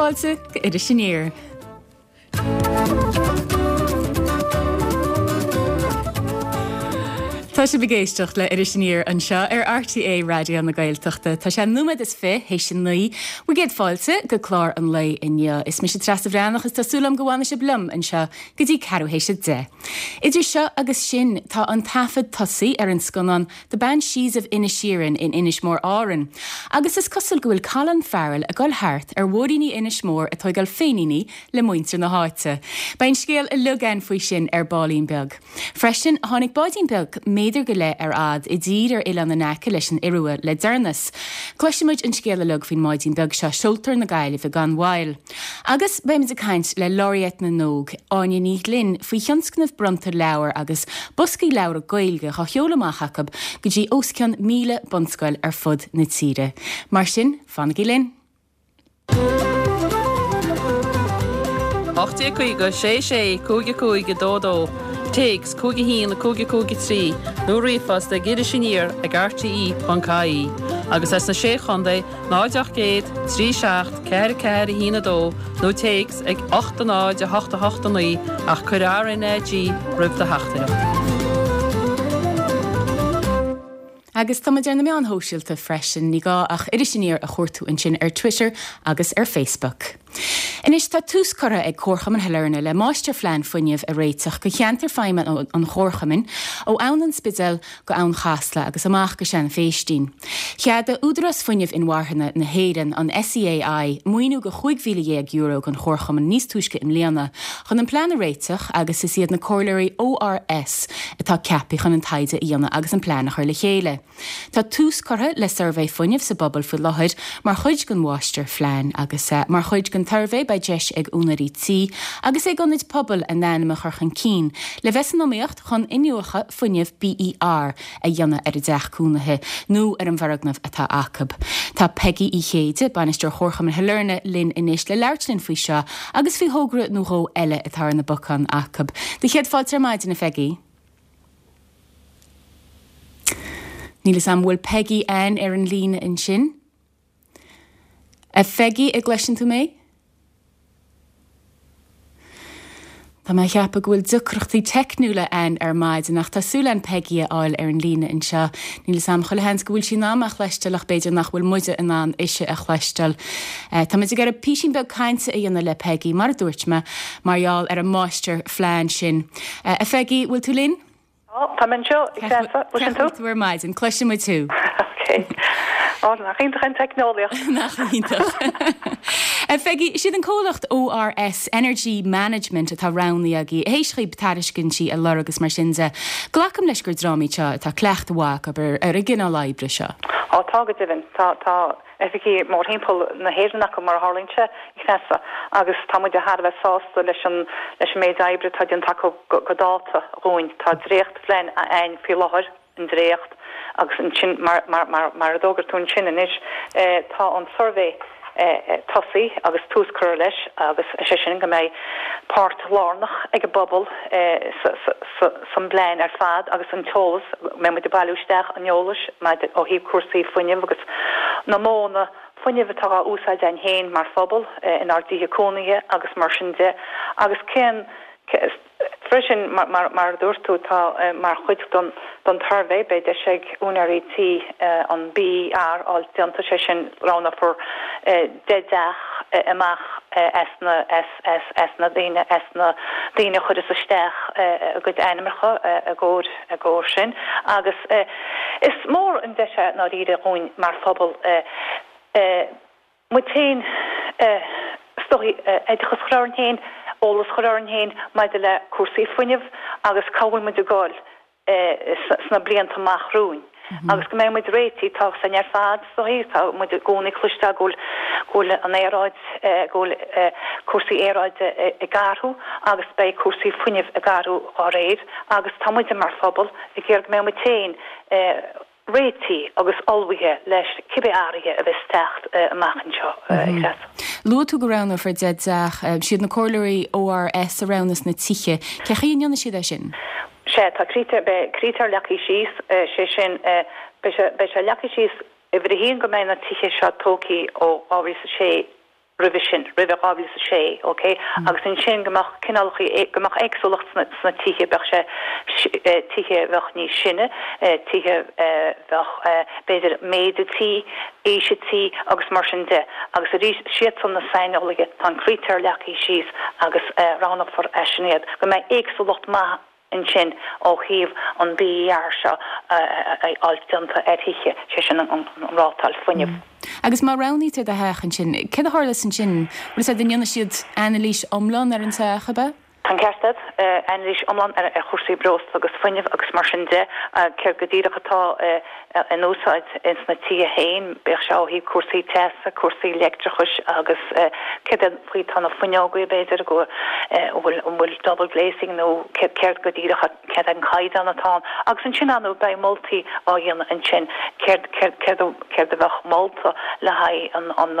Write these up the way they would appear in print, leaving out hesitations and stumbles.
fáilte go Iris Aniar. Tá sibh ag éisteacht le Iris Aniar anseo ar RTÉ Raidió na Gaeltachta. Tá sé nóiméad is fi théis a 9. Bhur gcéad fáilte go clár an lae inniu. Is mise Treasa Bhreathnach is tá súil agam go bhfanfaidh sibh liom anseo go dtí ceathrú théis a 10. Idir seo agus sin, tá an taifead tosaithe ar an scannán The Banshees of Inisherin in Inis Mór Árann agus is cosúil go bhfuil Colin Farrell ag dul thart ar mhúiríní Inis Mór ag tóigeáil féiníní le muintir na háite. Beidh an scéal uilig againn faoi sin ar baillín beag. Freisin, tháinig báidín beag méadar go leith ar fhad i dtír ar oileán in aice leis an Iorua le deireanas. Cloisfidh muid an scéal uilig faoin mbáidín beag seo, seoltar na Gaillimhe gan mhoill. Agus beimid ag caint le Laureate na nÓg, Áine Ní Ghlinn, faoi thionscnamh bronnta leabhar agus boscaí leabhra Gaeilge dhá sheoladh amach acu go dtí os cionn 1,000 bunscoil ar fud na tíre. Mar sin, fanaigí linn! 1850 6 6 5 5 2 2, Téacs 5 1 5 5 3 nó ríomhphost ag irisaniar ag rte.ie agus as na Sé Chontae 0 800 3 7 4 4 1 2 nó téacs ag 8 0 8 8 9 ach cuir RnaG roimh do theachtaireacht. Agus tá muid ar na meáin shóisialta freisin, ní gá ach Iris Aniar a chuartú ansin ar Twitter agus ar Facebook. Anois tá tús curtha ag Comharchumann Shailearna le máistirphlean fuinnimh a réiteach go cheantar feidhme an Chomharchumainn ó Abhainn an Spidéil go Abhainn Chasla agus amach go Sean Phéistín. Cheadaigh Údarás Fuinnimh Inmharthana na hÉireann, an SEAI, maoiniú go €15,000 don Chomharchumann níos túisce i mbliana chun an plean a réiteach agus is iad na comhairleoirí ORS atá ceaptha chun an taighde a dhéanamh agus an plean a chur le chéile. Tá tús curtha le suirbhé fuinnimh sa bpobal faoi láthair mar chuid den mháistirphlean agus mar chuid den tsuirbhé beidh deis ag úinéirí tí agus ag ionaid pobail a n-ainm a chur chun cinn le bheith san iomaíocht chun iniúchadh fuinnimh BER a dhéanamh ar a dteach cónaithe nó ar an bhfoirgneamh atá acu. Tá Peigí Uí Chéide, Bainisteoir Chomharchumann Shailearna, linn anois le labhairt linn faoi seo agus faoi thogra nó dhó eile atá ar na bacáin acu. Do chéad fáilte ar maidin, a Pheigí. Níl 'fhios a'm bhfuil Peigí Ann ar an líne ansin. A Pheigí, a' gcloiseann tú mé? Tá mé a cheapadh go bhfuil deacrachtaí teicniúla a'inn ar maidin ach tá súil a'inn Peigí a fháil ar an líne anseo. Níl 'fhios a'm, chuile sheans go bhfuil sí in ann mé a chloisteáil ach b'fhéidir nach bhfuil muide in ann ise a chloisteáil. Tá muid ag iarraidh písín beag cainte a dhéanamh le Peigí, mar a dúirt mé, mar gheall ar an máistirphlean sin. A Pheigí, bhfuil tú linn? Tá, tá mé anseo, a Threasa. Cloiseann tú? tú ar maidin, cloiseann muid thú. Ok. Ó, nach iontach an teicneolaíocht. Nach iontach. A Pheigí, is iad an comhlacht ORS Energy Management atá roghnaithe agaibh, théis dhaoib tairiscintí a lorg agus mar sin de. Glacaim leis gur dream iad seo atá cleachtadh mhaith acu ar an gcineál oibre seo. Ó, tá go deimhin. Tá, tá. oifigí mórthimpeall na hÉireann acu, mar a tharlaíonn sé, a Threasa, agus tá muid thar a bheith sásta leis an leis an méid oibre atá déanta acu go dáta dhúinn. Tá dréachtphlean a'ainn faoi láthair, an dréacht, agus ansin, mar mar mar mar a d'fhógair tú ansin anois, tá an suirbhé tosaithe agus tús curtha leis agus is é sin go mbeidh páirt lárnach ag an bpobal sa sa san bplean ar fad agus an t-eolas, mbeidh muid ag bailiú isteach an eolais maidir ó thaobh cúrsaí fuinnimh agus na modhanna fuinnimh atá á úsáid againn féin mar phobal inár dtithe cónaithe agus mar sin de agus cén freisin mar mar a dúirt tú tá mar chuid den den tsuirbhé beidh deis ag úinéirí tí an BER a fháil déanta, sé sin roghnófar 10 dteach amach as na as as na daoine as na daoine a chuireas isteach a gcuid ainmneacha i gcomhair i gcomhair sin agus is mór an deis é i ndáiríre dhúinn mar phobal muid féin is dóigh oideachas a chur orainn féin, eolas a chur orainn féin maidir le cúrsaí fuinnimh agus cá bhfuil muid ag dul sna blianta amach romhainn agus go mbeidh muid réitithe, tá a fhios againn ar fad, is dóigh, tá muid i gcónaí ag cloisteáil go bhfuil, go bhfuil an aeráid, go bhfuil cúrsaí aeráide ag athrú agus beidh cúrsaí fuinnimh ag athrú dá réir agus tá muide mar phobal ag iarraidh go mbeidh muid féin réitithe agus ullmhaithe leis cibé athruithe a bheas ag teacht amach anseo, a Threasa. Luaigh tú go roghnófar 10 dteach. Siad na comhairleoirí ORS a roghnas na tithe. Cé chaoi a ndéanfaidh siad é sin? Sea, tá critéir, beidh critéir leagtha síos, sé sin, beidh sé, beidh sé leagtha síos, uimhir a haon go mbeidh na tithe seo tógtha ó 2006. Roimhe sin, roimhe 2006, ok, agus ansin go mbeadh cineálacha, go mbeadh éagsúlacht sna, sna tithe, bheadh sé, tithe a bheadh níos sine, tithe a bheadh, b'fhéidir méid an tí, aois an tí agus mar sin de. Agus arís, siadsan na saineolaithe, tá an critéar leagtha síos agus roghnófar as sin iad, go mbeidh éagsúlacht maith ansin ó thaobh an BER seo a fháil déanta ar thithe, sé sin an rátáil fuinnimh. Agus má roghnaítear do theach ansin, céard a tharlós ansin? Bhfuil a fhios agat, an ndéanfaidh siad anailís iomlán ar an teach, ab ea? Tá an ceart agat, anailís iomlán ar chúrsaí breosla agus fuinnimh agus mar sin de, céard go díreach atá in úsáid ins na tithe féin, bíodh sé ó thaobh cúrsaí teasa, cúrsaí leictreachais agus céard é faoi tá na fuinneogaí b'fhéidir go bhfuil an bhfuil double glazing nó céard go díreach céard é an caighdeán atá ann agus ansin ar ndóigh beidh moltaí á dhéanamh ansin céard céard céard céard a bheadh molta le haghaidh an an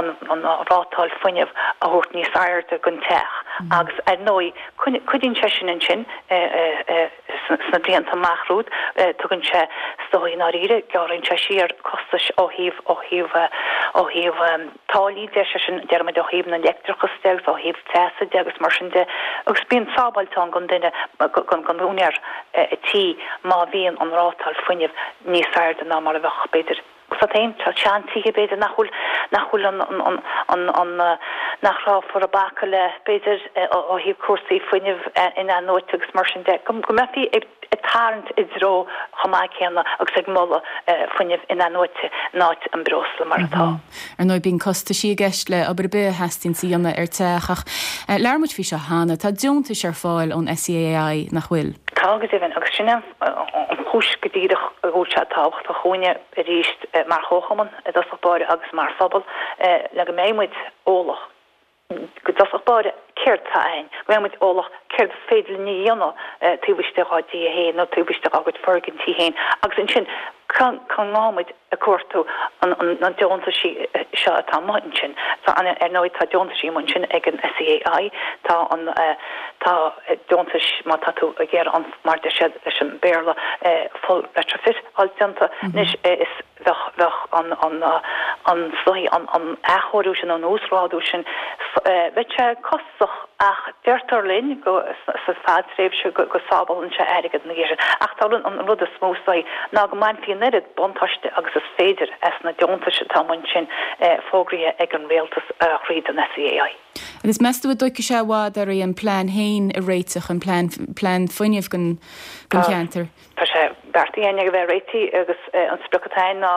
an an rátáil fuinnimh a thabhairt níos airde don teach agus ar ndóigh cuidíonn sé sin ansin Sna blianta amach romhat, tugann sé, is dóigh, i ndáiríre, gearrann sé siar costais ó thaobh, ó thaobh, ó thaobh táillí de, sé sin, déarfaimid ó thaobh na leictreachas de agus ó thaobh teasa de agus mar sin de. Agus bíonn sábháilt ann don duine, don úinéir tí má bhíonn an rátáil fuinnimh níos airde ná mar a bheadh, b'fhéidir. Tá féin, tá seantithe b'fhéidir nach bhfuil, nach bhfuil an, an, an, an, nach rabhthar ag bacadh le, b'fhéidir, ó thaobh cúrsaí fuinnimh in-athnuaite agus mar sin de, go mbeifí ag tarraingt i dtreo chomh maith céanna agus ag moladh fuinneamh in-athnuaite in áit an breosla mar atá. Ar ndóigh bíonn costaisí i gceist le obair ar bith a theastaíonn a dhéanamh ar teach ach labhair muid faoi seo cheana, tá deontais ar fáil ón SEAI, nach bhfuil? Tá go deimhin agus sin é an chúis go díreach go bhfuil sé tábhachtach dhúinne arís mar chomharchumann i dtosach báire agus mar phobal le go mbeidh muid eolach go dtosach báire céard tá ann, go mbeidh muid eolach céard is féidir linn a dhéanamh taobh istigh dár dtithe féin nó taobh istigh dár gcuid foirgintí féin agus ansin cá ngá muid ag cuartú na deontaisí seo atá amuigh ansin. Tá, ar ndóigh, tá deontaisí amuigh ansin ag an SEAI, tá an, tá deontais má tá tú ag iarraidh an, mar a deir siad leis an Béarla, full retrofit a fháil déanta. Anois is, bheadh, bheadh an, an, an, is dóigh, an, an athchóiriú sin, an uasghrádú sin, bheadh sé costasach. Ach deirtear linn go sa fadtréimhse go sábhálann sé airgead ina dhiaidh sin. Ach tá an rud is mó is dóigh ná go mbainfí an oiread buntáiste agus is féidir as na deontais atá amuigh ansin fógraithe ag an rialtas thríd an SEAI. Agus meas tú an dtógfaidh sé i bhfad oraibh an plean féin a réiteach, an plean plean fuinnimh don cheantar? Tá sé beartaithe againn é a bheith réitithe agus an sprioc atá againn ná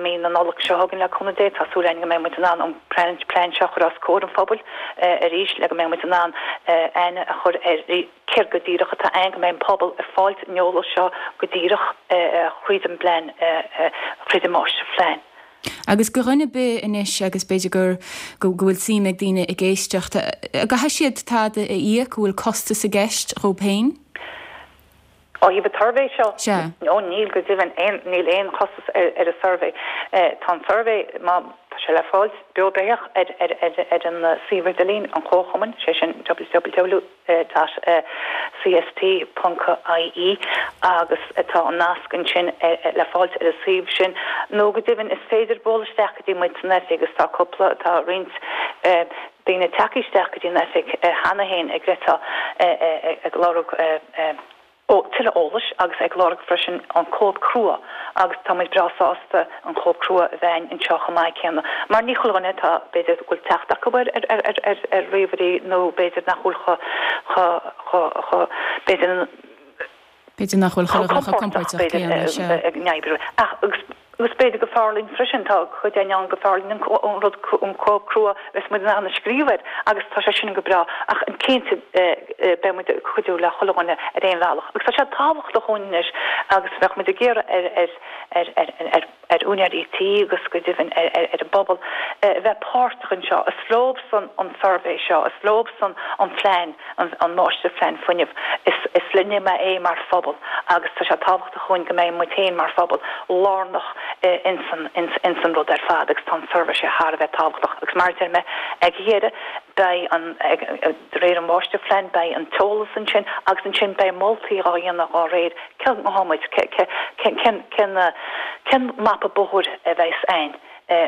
mí na Nollag seo chugainn le cúnamh Dé. Tá súil againn go mbeidh muid in ann an plean seo a chur os comhair an phobail arís le go mbeidh muid in ann aithne a chur ar céard go díreach atá ann, go mbeidh an pobal ag fáilt an eolais seo go díreach thríd an bplean, thríd an máistirphlean. Agus do dhuine ar bith anois, agus b'fhéidir gur, go bhfuil suim ag daoine ag éisteacht, an gcaithfidh siad tada a íoc, an bhfuil costas i gceist dhóibh féin? Ó thaobh an tsuirbhé seo, Sea. Ó níl go deimhin, aon, níl aon chostas ar, ar an suirbhé. Tá an suirbhé, má, tá sé le fáilt beo beathach ar, ar, ar, ar an suíomh idirlín an Chomharchumainn, sé sin www dot cst ponc ie agus tá an nasc ansin ar, le fáilt ar an suíomh sin. Nó go deimhin is féidir bualadh isteach go dtí muid san oifig agus tá cúpla, tá roinnt daoine tagtha isteach go dtí an oifig cheana féin ag rá, ag lorg tuilleadh eolais agus ag lorg freisin an cóip crua agus tá muid breá sásta an chóip crua a bheith againn anseo chomh maith céanna mar ní chuile dhuine atá, b'fhéidir, go bhfuil teacht acu ar ríomhairí nó b'fhéidir nach bhfuil chomh, chomh, chomh, b'fhéidir. B'fhéidir nach bhfuil chuile dhuine chomh compordach céanna, sea. ag an oibriú. Ach, agus b'fhéidir gur fearr linn freisin, tá cuid againn ann gur fearr linn an rud, an cóip crua, bheas muid in ann a scríobh air agus tá sé sin go breá. Ach cinnte, beidh muid ag cuidiú le chuile dhuine ar aon bhealach. Agus tá sé tábhachtach dhúinn anois agus bheadh muid ag iarraidh ar, ar, ar, ar, ar, ar úinéirí tí agus go deimhin ar, ar, ar an bpobal a bheith páirteach anseo. Is leobsan an suirbhé seo, is leobsan an plean. an máistirphlean fuinnimh. Is linne é mar phobal agus tá sé tábhachtach dhúinn go mbeidh muid féin mar phobal lárnach ins an rud ar fad agus tá an suirbhé seo thar a bheith tábhachtach agus mar a deir mé ag a dheireadh beidh an, de réir an mháistirphlean beidh an t-eolas ansin agus ansin beidh moltaí dhá dhéanamh dhá réir cén, cén, cén, cén mapa bóthair a bheas ann.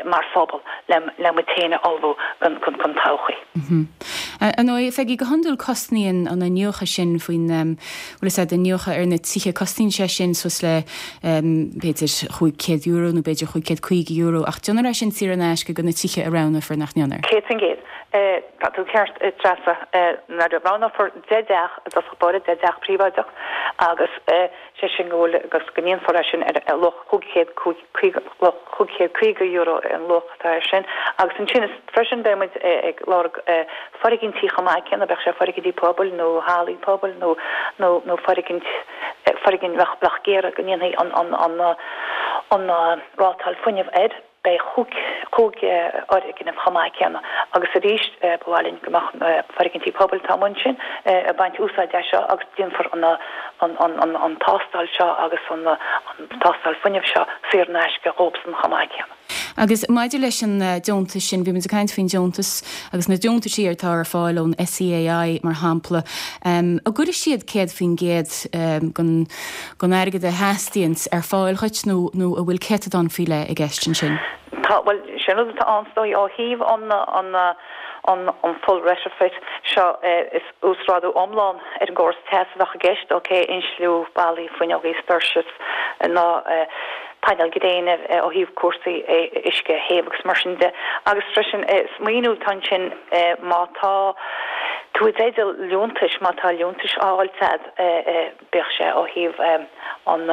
mar phobal le muid féin a ullmhú don todhchaí. Ar ndóigh, a Pheigí, go hiondúil cosnaíonn an iniúchadh sin faoin, bhfuil fhios a'd, iniúchadh ar na tithe, cosnaíonn sé sin suas le b'fhéidir €500 nó b'fhéidir €550 ach déanfar é sin saor in aisce do na tithe a roghnófar, nach ndéanfar? 100%. Tá tú ceart, a Treasa. Nuair a roghnófar 10 dteach i dtosach báire, 10 dteach príobháideach agus sé sin go bhfuil, agus go ndéanfar é sin ar luach 500, luach €550 an luach atá air sin. Agus ansin is freisin beidh muid ag lorg foirgintí chomh maith céanna, bíodh sé foirgintí pobail nó hallaí pobail nó nó nó foirgint foirgint bheadh bheadh ag iarraidh go ndéanfaí an an an an rátáil fuinnimh air. Beidh chúig fhoirgneamh chomh maith céanna agus arís ba mhaith linn go mbeadh foirgintí pobail atá amuigh ansin ag baint úsáid as seo agus déanfar an tástáil seo agus an tástáil fuinnimh seo saor in aisce dhóibhsan chomh maith céanna. Agus maidir leis an deontas sin, bhí muid ag caint faoin deontas agus na deontaisí atá ar fáil ón SEAI mar shampla, an gcuirfidh siad 100% den den airgead a theastaíonns ar fáil dhuit nó nó an bhfuil céatadán faoi leith i gceist ansin? Tá, bhuel, sin rud atá ann is dóigh ó thaobh an an an an full retrofit seo is uasghrádú iomlán ar an gcóras teas a bheadh i gceist, ok, insliú ballaí, fuinneogaí, doirse, na painéil gréine ó thaobh cúrsaí uisce a théamh agus mar sin de. Agus freisin is maoiniú atá ansin má tá tú i dteideal liúntais, má tá liúntais á fháilt a'd, bíodh sé ó thaobh an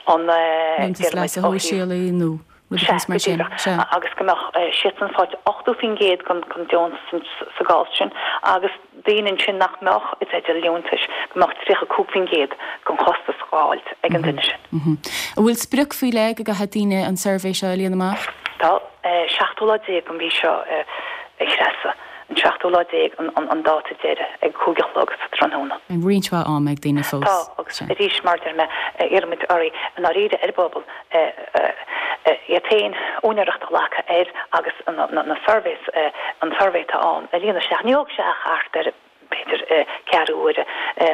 an Liúntas leasa shóisialaigh nó rud éicint mar sin. Sea, go díreach. Agus go mbeadh siadsan ag fáilt 80% den deontas sa gcás sin agus daoine ansin nach mbeadh i dteideal liúntais, go mbeadh 35% den chostas á fháilt ag an duine sin. An bhfuil sprioc faoi leith go gcaithfidh daoine an suirbhé seo a líonadh amach? Tá. Seachtú lá déag den mhí seo, a Threasa. An seachtú lá déag an dáta deiridh, ag 5 a chlog sa tráthnóna. Roinnt mhaith ama ag daoine fós. Tá, agus arís, mar a deir mé, iarraimid oraibh, i ndáiríre, ar an bpobal, iad féin úinéireacht a ghlacadh air agus na surveys, an suirbhé atá ann, a líonadh isteach. Ní thógfaidh sé ach thart ar, b'fhéidir, ceathrú uaire,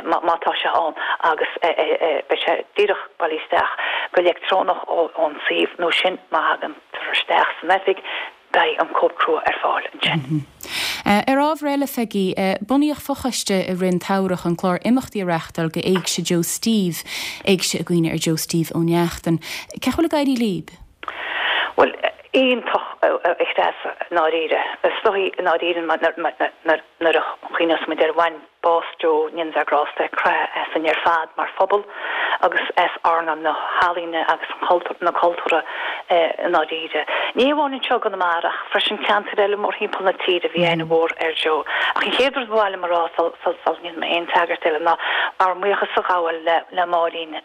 má tá sé ann, agus beidh sé díreach bailithe isteach go leictreonach ón suíomh, nó sin má thagann tú isteach san oifig, Beidh an cóip crua ar fáil ansin. Ar ábhar eile, Pheigí, bunaíodh fochoiste i rith an tsamhraidh chun clár imeachtaí a reáchtáil go Éigse Joe Steve, Éigse i gcuimhne ar Joe Steve Ó Neachtain. Cén chaoi a bhfuil ag éirí líb? Bhuel, iontach, a Threasa, i ndáiríre. Is dóigh, i ndáiríre, nuair a chuimhneos muid ar bhain Bás Joe, go ndéana Dia grásta air, croitheadh asainn ar fad mar phobal agus as earnáil na healaíne agus na cultúrtha i ndáiríre. Ní amháin anseo i gConamara ach freisin ceantair eile mórthimpeall na tíre bhí aithne mhór ar Joe. Ach an chéad rud ba mhaith liom a rá sula ndéanfaidh mé aon tagairt eile ná ár mbuíochas a ghabháil le Máirín,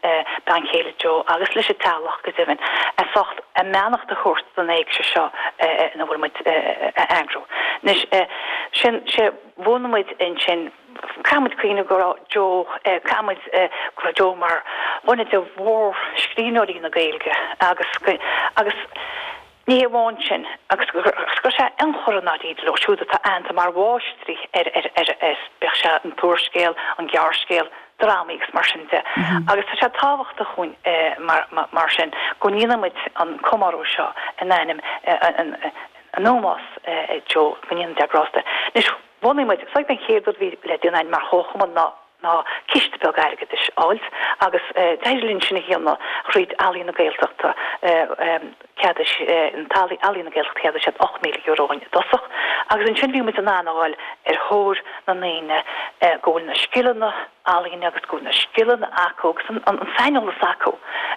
bean chéile Joe, agus leis an teaghlach go deimhin, as ucht a mbeannacht a thabhairt don éigse seo ina bhfuil muid a eagrú. Anois, sin sé. Bhunaigh muid ansin, caithfidh muid cuimhneamh go raibh Joe, caithfidh muid go raibh Joe mar dhuine de mhórscríbhneoirí na Gaeilge agus, agus ní hé amháin sin, agus go raibh sé ionchur i ndáiríre leo siúd atá aitheanta mar mháistrí ar, ar, ar, ar, bíodh sé an t-úrscéal, an gearrscéal, drámaí agus mar sin de. Agus tá sé tábhachtach dhúinn mar, mar sin go ndéanfaidh muid an comóradh seo in ainm an, in ómós Joe, go ndéana Dia grásta air. Anois, bhunaigh muid, is dóigh an chéad rud a bhí le déanamh againn mar chomharchumann ná ná ciste beag airgeadais a fháilt agus d'éirigh linn sin a dhéanamh thríd Ealaín na Gaeltachta, cheadaigh an Ealaín na Gaeltachta cheadaigh siad €8,000 dhúinn i dtosach agus ansin bhí muid in ann a dhul ar thóir na ndaoine go bhfuil na scileanna ealaíne agus go bhfuil na scileanna acu agus an saineolas acu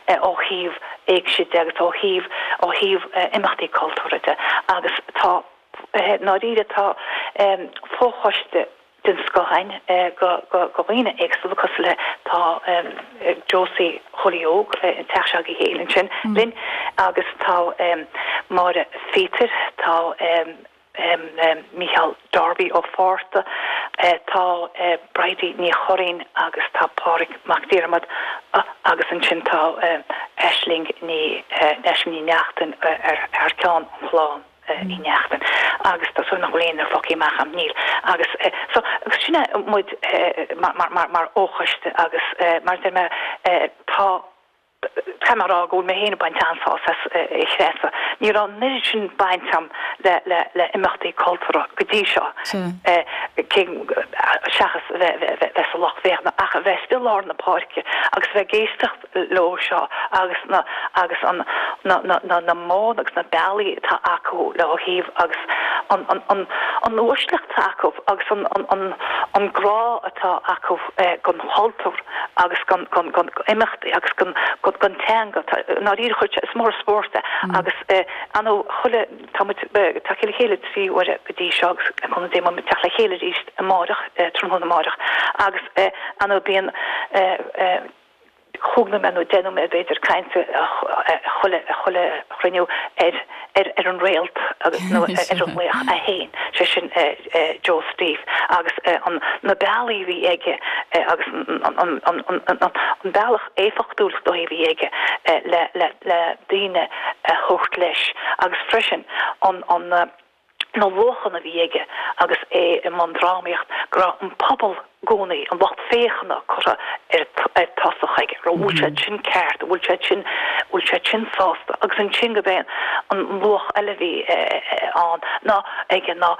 ó thaobh éigse de agus ó thaobh ó thaobh imeachtaí cultúrtha de agus tá i ndáiríre tá fochoiste den scoth againn de dhaoine éagsúla cosúil le tá Josie Chóilí Óg an teach s'agaibh féin ansin linn agus tá Máire Phíotair tá Mícheál Darby Ó Fátharta, tá Bridie Ní Churraoin agus tá Pádraig Mac Diarmada agus ansin tá Aisling Ní Aisling Ní Neachtain ar thar ceann an chlann Uí Neachtain agus tá súil nach bhfuil éinne fágtha amach agam, níl. Agus so agus sin é muid mar mar mar fhochoiste agus mar a deir mé tá. Caithfidh mé a rá go bhfuil mé féin ag baint an-sásamh as, a Threasa. Ní raibh an oiread sin baint agam le imeachtaí cultúrtha go dtí seo, cé, seachas a bheith sa lucht féachana, ach a bheith istigh i lár na páirce agus a bheith ag éisteacht leo seo agus na, agus an, na, na, na, na modhanna agus na bealaí atá acu le ó thaobh agus an, an, an, an uaisleacht atá acu agus an, an, an, an grá atá acu don chultúr. agus don imeachtaí agus don teanga. I ndáiríre chuir sé, is mór an spórt é agus ar ndóigh chuile, tá muid ag teacht le chéile 3 huaire go dtí seo agus le cúnamh Dé beidh muid ag teacht le chéile arís amáireach, tráthnóna amáireach agus ar ndóigh bíonn chúig nóiméad nó 10 nóiméad b'fhéidir cainte chuile chuile chruinniú ar ar an réalt agus nó ar an laoch é féin, sé sin Joe Steve agus an na bealaí a bhí aige agus an an bealach éifeachtúil is dóigh a bhí aige le le le daoine a thabhairt leis agus freisin an an na luachanna a bhí aige agus é i mbun drámaíocht, go raibh an pobal i gcónaí, an lucht féachana curtha ar tosach aige, an bhfuil siad sin ceart, an bhfuil siad sin, an bhfuil siad sin sásta agus ansin gurb é an luach eile a bhí ann ná aige ná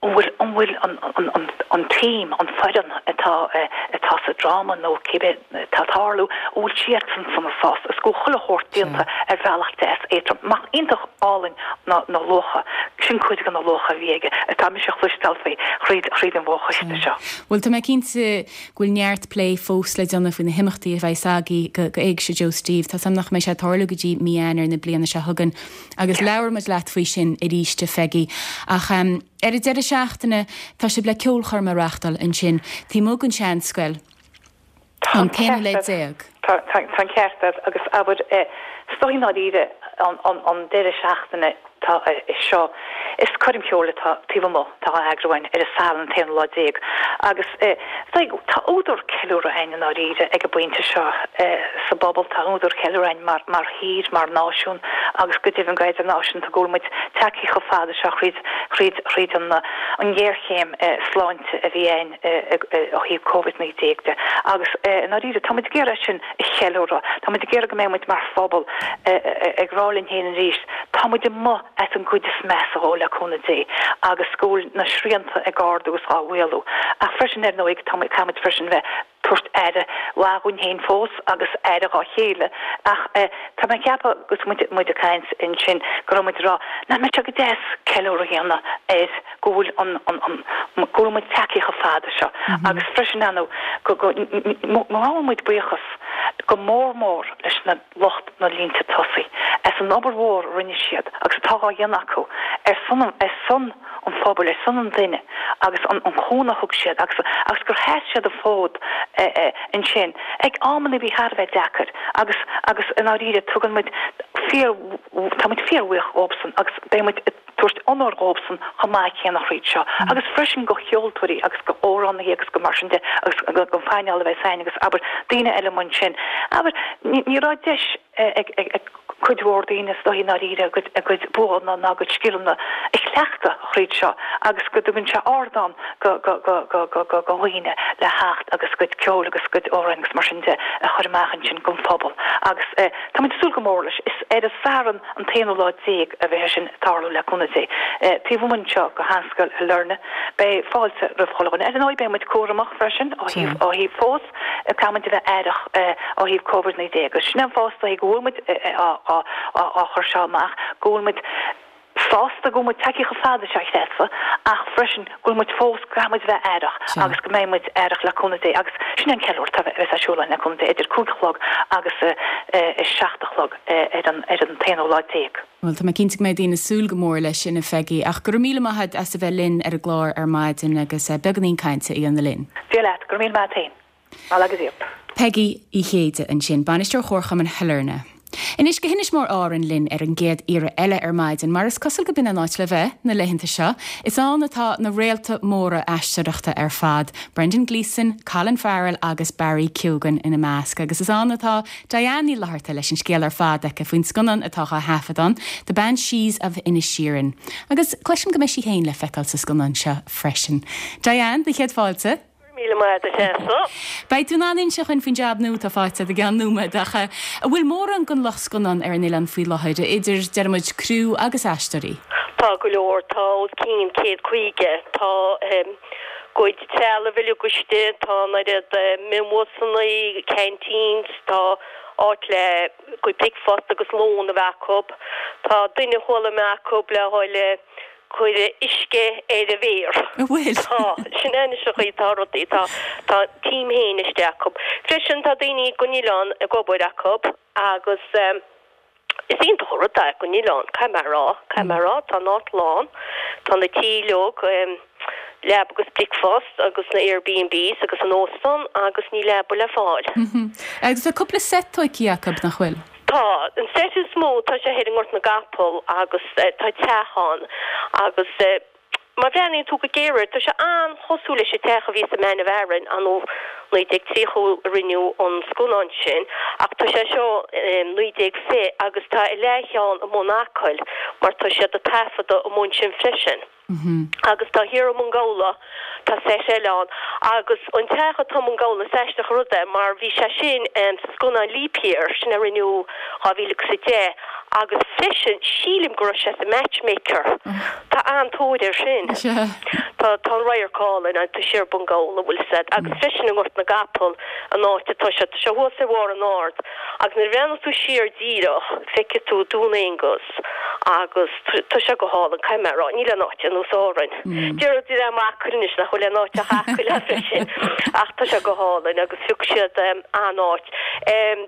an bhfuil, an bhfuil an, an, an, an team, an foireann atá, atá sa dráma nó cibé atá ag tarlú, an bhfuil siadsan sona sásta is go bhfuil chuile shórt déanta ar bhealach deas éadrom. Mac iontach álainn na na luacha, sin cuid de na luacha a bhí aige atá mise a chloisteáil faoi thríd thríd an bhfochoiste seo. Bhuel, tá mé cinnte go bhfuil neart plé fós le déanamh faoi na himeachtaí a bheas agaibh go go Éigse Joe Steve. Tá 's agam nach mbeidh sé ag tarlú go dtí mí Eanáir na bliana seo chugainn agus labhróidh muid leat faoi sin arís, a Pheigí. Ach ar an deireadh seachtaine tá sibh le ceolchoirm a reáchtáil ansin taobh amuigh den Seanscoil. Tá an t-aonú lá déag. Tá an ceart agat agus abair, is dóigh i ndáiríre an deireadh seachtaine atá seo, is coirm cheoil atá taobh amuigh atá á eagrú againn ar an Satharn an t-aonú lá déag agus is dóigh tá údar ceiliúradh againn i ndáiríre ag an bpointe seo sa bpobal, tá údar ceiliúradh againn mar mar thír, mar náisiún agus go deimhin go idirnáisiúnta go bhfuil muid tagtha chomh fada seo thríd thríd thríd an an ghéarchéim sláinte a bhí againn. ó thaobh Covid-19 de agus i ndáiríre tá muid ag iarraidh é sin a cheiliúradh. Tá muid ag iarraidh go mbeidh muid mar phobal ag rá linn féin arís tá muid amuigh as an gcuid is measa dhó le cúnamh Dé agus go bhfuil na srianta ag ardú is á mhaolú. Ach freisin ar ndóigh tá muid caithfidh muid freisin bheith tabhairt aire mhaith dhúinn féin fós agus aire dhá chéile ach tá mé ag ceapadh agus muid muid ag caint ansin go raibh muid ag rá nach mbeadh sé go deas ceiliúradh a dhéanamh ar go bhfuil an, an, an, go bhfuil muid tagtha chomh fada seo agus freisin ar ndóigh go, go ngabhann muid buíochas go mór mór leis na lucht na línte tosaigh as an obair mhór a rinne siad agus atá dhá dhéanamh acu ar son, ar son an phobail, ar son an duine agus an, an cúnamh a thug siad agus, agus gur sheas siad an fód ansin ag amanna a bhí thar a bheith deacair agus, agus i ndáiríre tugann muid fíor, tá muid fíorbhuíoch dhóibhsan agus beidh muid ag tabhairt onóir dhóibhsan chomh maith céanna thríd seo agus freisin go cheoltóirí agus go amhránaithe agus go mar sin de agus go phainéal a bheas againn agus abair daoine eile amuigh ansin. Abair ní raibh deis ag ag cuid mhór daoine is dóigh i ndáiríre a gcuid a gcuid buanna ná a gcuid scileanna a chleachtadh thríd seo agus go dtugann sé ardán go go go go go go go dhaoine le theacht agus a gcuid ceoil agus a gcuid amhráin agus mar sin de a chur amach ansin don phobal agus táimid ag súil go mór leis. Is ar an Satharn an t-aonú lá déag a bheidh sé sin ag tarlú le cúnamh Dé. Taobh amuigh anseo go Sheanscoil Shailearna, beidh fáilte roimh chuile dhuine. Ar ndóigh beidh muid cúramach freisin ó thaobh ó thaobh fós caithfidh muid a bheith aireach ó thaobh Covid 19 agus sin é an fáth is dóigh go bhfuil muid á á á chur seo amach, go bhfuil muid sásta go bhfuil muid tagtha chomh fada seo a Threasa ach freisin go bhfuil muid fós, go gcaithfidh muid a bheith aireach agus go mbeidh muid aireach le cúnamh Dé agus sin é an ceiliúradh atá a bheas ar siúl againn le cúnamh Dé idir 5 a chlog agus 7 a chlog ar an ar an t-aonú lá déag. Bhuel, tá mé cinnte go mbeidh daoine ag súil go mór leis sin, a Pheigí, ach go raibh míle maith agat as a bheith linn ar an gclár ar maidin agus beagáinín cainte a dhéanamh linn. Dia leat, go raibh míle maith agat féin. Bail agus iad. Peigí Uí Chéide ansin, Bainisteoir Chomharchumann Shailearna. Anois go hInis Mór Árann linn ar an gcéad iarraidh eile ar maidin, mar is cosúil go b'in an áit le bheith, na laethanta seo. Is ann atá na réalta móra aisteoireachta ar fad, Brendan Gleeson, Colin Farrell agus Barry Keoghan ina measc. Agus is ann atá Diane Ní Fhlatharta leis an scéal ar fad aici faoin scannán atá á thaifead ann, The Banshees of Inisherin. Agus cloisim go mbeidh sí féin le feiceáil sa scannán seo freisin. Diane, do chéad fáilte. Míle maith agat, a Threasa. Beidh tú in ann inse dhúinn faoin jab nua atá faighte agat i gceann nóiméad ach an bhfuil mórán den lucht scannán ar an oileán faoi láthair, idir, deir muid, criú agus aisteoirí? Tá go leor, tá os cionn 150. Tá gcuid trealamh uilig istigh, tá an oiread mionbhusannaí, canteens, tá áit le gcuid bricfeasta agus lón a bheith acu. Tá duine a chuala mé acu le dhul cur uisce ar a mhéar. An bhfuil? Tá, sin é anois an chaoi atá rudaí, tá, tá team féin istigh acu. Freisin tá daoine gon oileán ag obair acu agus is iontach an rud é gon oileán, caithfidh mé a rá, caithfidh mé a rá, tá an áit lán, tá na tithe uilig, leaba agus bricfeasta agus na Airbnbs agus an óstán agus níl leaba le fáil. Agus tá cúpla seit tóigthe acu, nach bhfuil? Tá. An seit is mó, tá sé thoir i nGort na gCapall agus tá teach ann agus má bhreathnaíonn tú go géar air, tá sé an-chosúil leis an teach a bhí sa Man of Aran, anno 1930 a rinneadh an scannán sin ach tá sé seo 1920 agus tá a leathcheann amuigh in Acaill mar tá siad ag taifeadadh amuigh ansin freisin. Agus tá thiar i mBun Gabhla, tá seit eile ann. Agus an teach atá i mBun Gabhla, is aisteach an rud é mar bhí sé sin sa scannán Leap Year, sin a rinneadh 2010, agus freisin sílim go raibh sé sa Matchmaker. Tá an-tóir air sin. Tá tá an radharc álainn ann, tá siar Bun Gabhla, bhfuil 'fhios a'd. Agus freisin i nGort na gCapall, an áit atá sé, tá sé thuas ar bharr an ard. Agus nuair a bhreathnaíos tú siar díreach, feicfidh tú Dún Aonghus. Agus tá sé go hálainn, caithfidh mé a rá. Níl aon áit ar nós Árainn. Deir dream Acaill anois nach bhfuil aon áit ach Acaill freisin. Ach tá sé go hálainn agus phioc siad an-áit.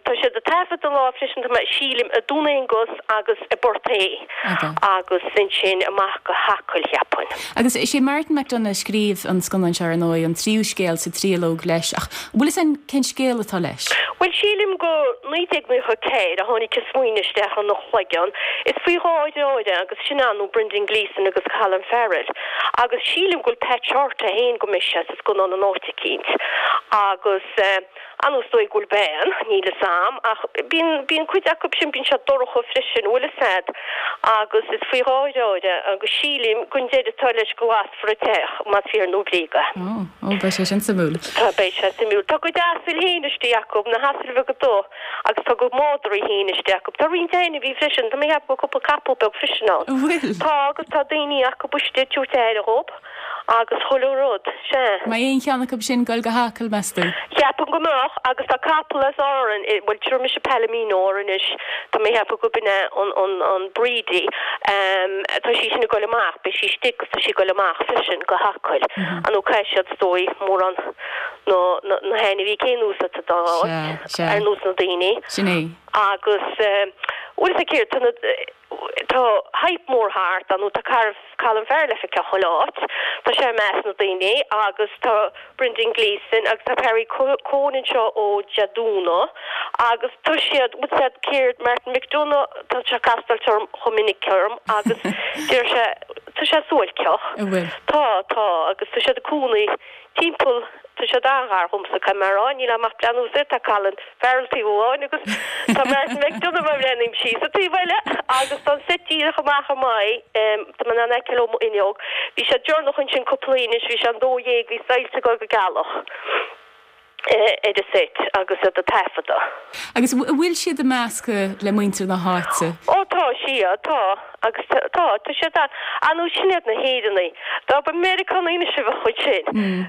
Tá siad ag taifeadadh lá freisin, tá mé, sílim, i Dún Aonghus agus i bPort Aodha agus ansin amach go hAcaill, cheapfainn. Agus is é Martin McDonagh a scríobh an scannán seo, ar ndóigh, an tríú scéal sa tríológ leis. Ach an bhfuil fhios a'inn cén scéal atá leis? Bhuel, sílim go 1994 a tháinig an smaoineamh isteach ina chloigeann. Is faoi dhá dheartháir é agus sin ar ndóigh Brendan Gleeson agus Colin Farrell. Agus sílim go bhfuil Pat Shortt é féin go mbeidh sé sa scannán in áit eicínt. Agus ar ndóigh is dóigh go bhfuil bean, níl fhios a'm, ach bíonn, bíonn cuid acu sin, bíonn siad dorcha freisin, bhfuil fhios a'd. Agus is faoi dhá dheartháir é agus sílim gon deireadh atá leis go lasfar an teach, más fíor nó bréag é. Ó, ó, beidh sé sin suimiúil. Tá, beidh sé suimiúil. Tá a gcuid asail féin istigh acu, na hasail bheaga dubha. Agus tá a gcuid madraí féin istigh acu. Tá roinnt ainmhí freisin. Tá mé ag ceapadh go bhfuil cúpla capall beag freisin ann. An bhfuil? Tá, agus tá daoine acu istigh ag tabhairt aire dhób agus chuile rud. Sea. Mbeidh aon cheann acu sin ag goil go hAcaill, meas tú? Cheapfainn go mbeadh, agus tá capall as Árainn, bhuel tabharfaidh mise Palomino air anois, tá mé ag ceapadh go b'in é an, an, an breed í. Tá sí sin ag goil amach, beidh sí istigh agus tá sí ag goil amach freisin go hAcaill. Ar ndóigh caithfidh siad is dóigh mórán. na na hainmhí cén nós atá dá Sea, sea. ar nós na daoine. Sin é. Agus bhfuil fhios a'd céard, tá na, tá hype mór thart, ar ndóigh tá Cara, Colin Farrell le feiceáil chuile áit, tá sé i measc na daoine agus tá Brendan Gleeson agus tá Barry Keoghan anseo ó Dé Domhnaigh agus tá siad, bhfuil fhios a'd céard, Martin McDonagh, tá sé ag castáilt orm chomh minic orm agus deir sé, tá sé suáilceach. An bhfuil? Tá, tá agus tá siad ag cónaí timpeall, tá siad an-ghar dhomsa, caithfidh mé a rá, níl a'm ach breathnú soir, tá Colin Farrell taobh amháin agus tá Martin McDonagh má bhreathnaím síos an taobh eile agus tá an seit díreach amach i m'aghaidh, tá mé in ann a fheiceáil ó m'fhuinneog. Bhí sé deireanach ansin cúpla oíche anois, bhí sé an 12, bhí soilse ag dul go gealach ar an seit agus iad ag taifeadadh. Agus an bhfuil siad ag meascadh le muintir na háite? Ó tá, sea, tá. Agus tá, tá siad ann. Ar ndóigh, sin iad na hÉireannaigh. Dá ba Meiriceánaigh anois a bheadh ansin,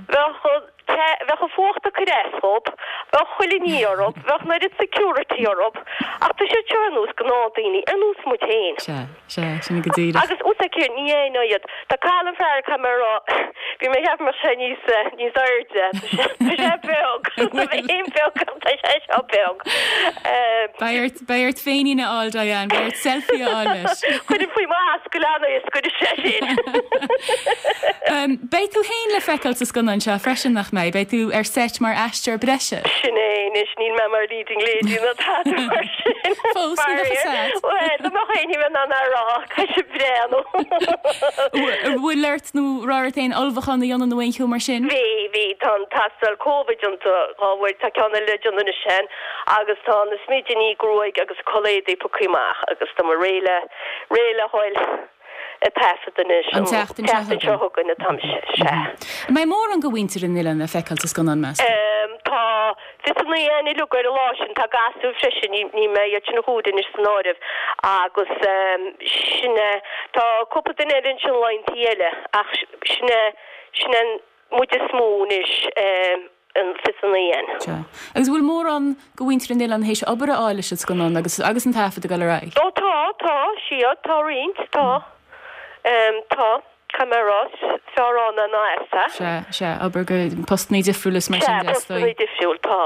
bheadh an te, bheadh an fuacht ag cur as dhób, bheadh chuile ní orthu, bheadh an oiread security orthu. Ach tá siad seo ar nós gnáthdhaoine, ar nós muid féin. Sea, sea, sin é go díreach. Agus bhfuil fhios a'd céard, ní aithneofá iad. Tá Colin Farrell, caithfidh mé a rá, bhí mé ag ceapadh go mbeadh sé níos, níos airde. Tá sé beag. Tá mé féin beag ach tá sé seo beag. Beidh ort, Beidh ort féinín a fháil, Diane, beidh ort selfie a fháil leis. Cuirim faoi m'ascaill ann é is scoirfidh sé sin. Beidh tú féin le feiceáil sa scannán seo freisin, nach mbeidh? Beidh tú ar seit mar aisteoir breise. Sin é anois, níl mé mar leading lady ná tada mar sin. Fós, ní bheadh fhios a'd. Bhuel, dá mbeadh éinne in ann a rá, caithfidh sé breathnú. An bhfuil ort nó raibh ort aon ullmhúchán a dhéanamh nó aon cheo mar sin? Bhí, bhí. Tá an tástáil Covid déanta dhá uair, tá ceann eile le déanamh anois féin. Agus tá na smidíní gruaige agus culaith éadaí pioctha amach agus tá mé réidh le, réidh le dhul. Ag taifead anois. An tseachtain seo chugainn. seo chugainn atá mise, sea. An mbeidh mórán de mhuintir an oileáin le feiceáil sa scannán, meas tú? Tá 29 againn uilig ar an lá sin. Tá gasúir freisin, ní mbeidh iad sin a chomhaireamh anois san áireamh. Agus sin é. Tá cúpla duine eile ansin laethanta eile ach sin é, sin é muid is mó anois. an 29 againn. Sea. Agus an bhfuil mórán de mhuintir an oileáin théis obair a fháil leis an scannán agus agus an taifead ag dul ar aghaidh? Ó tá, tá, sea, tá roinnt, tá. Tá, caithfidh mé a rá, is fearr ann ná as, a. Sea, sea, obair go postannaí difriúla is mar sin de, is dóigh. Sea, postannaí difriúil, tá.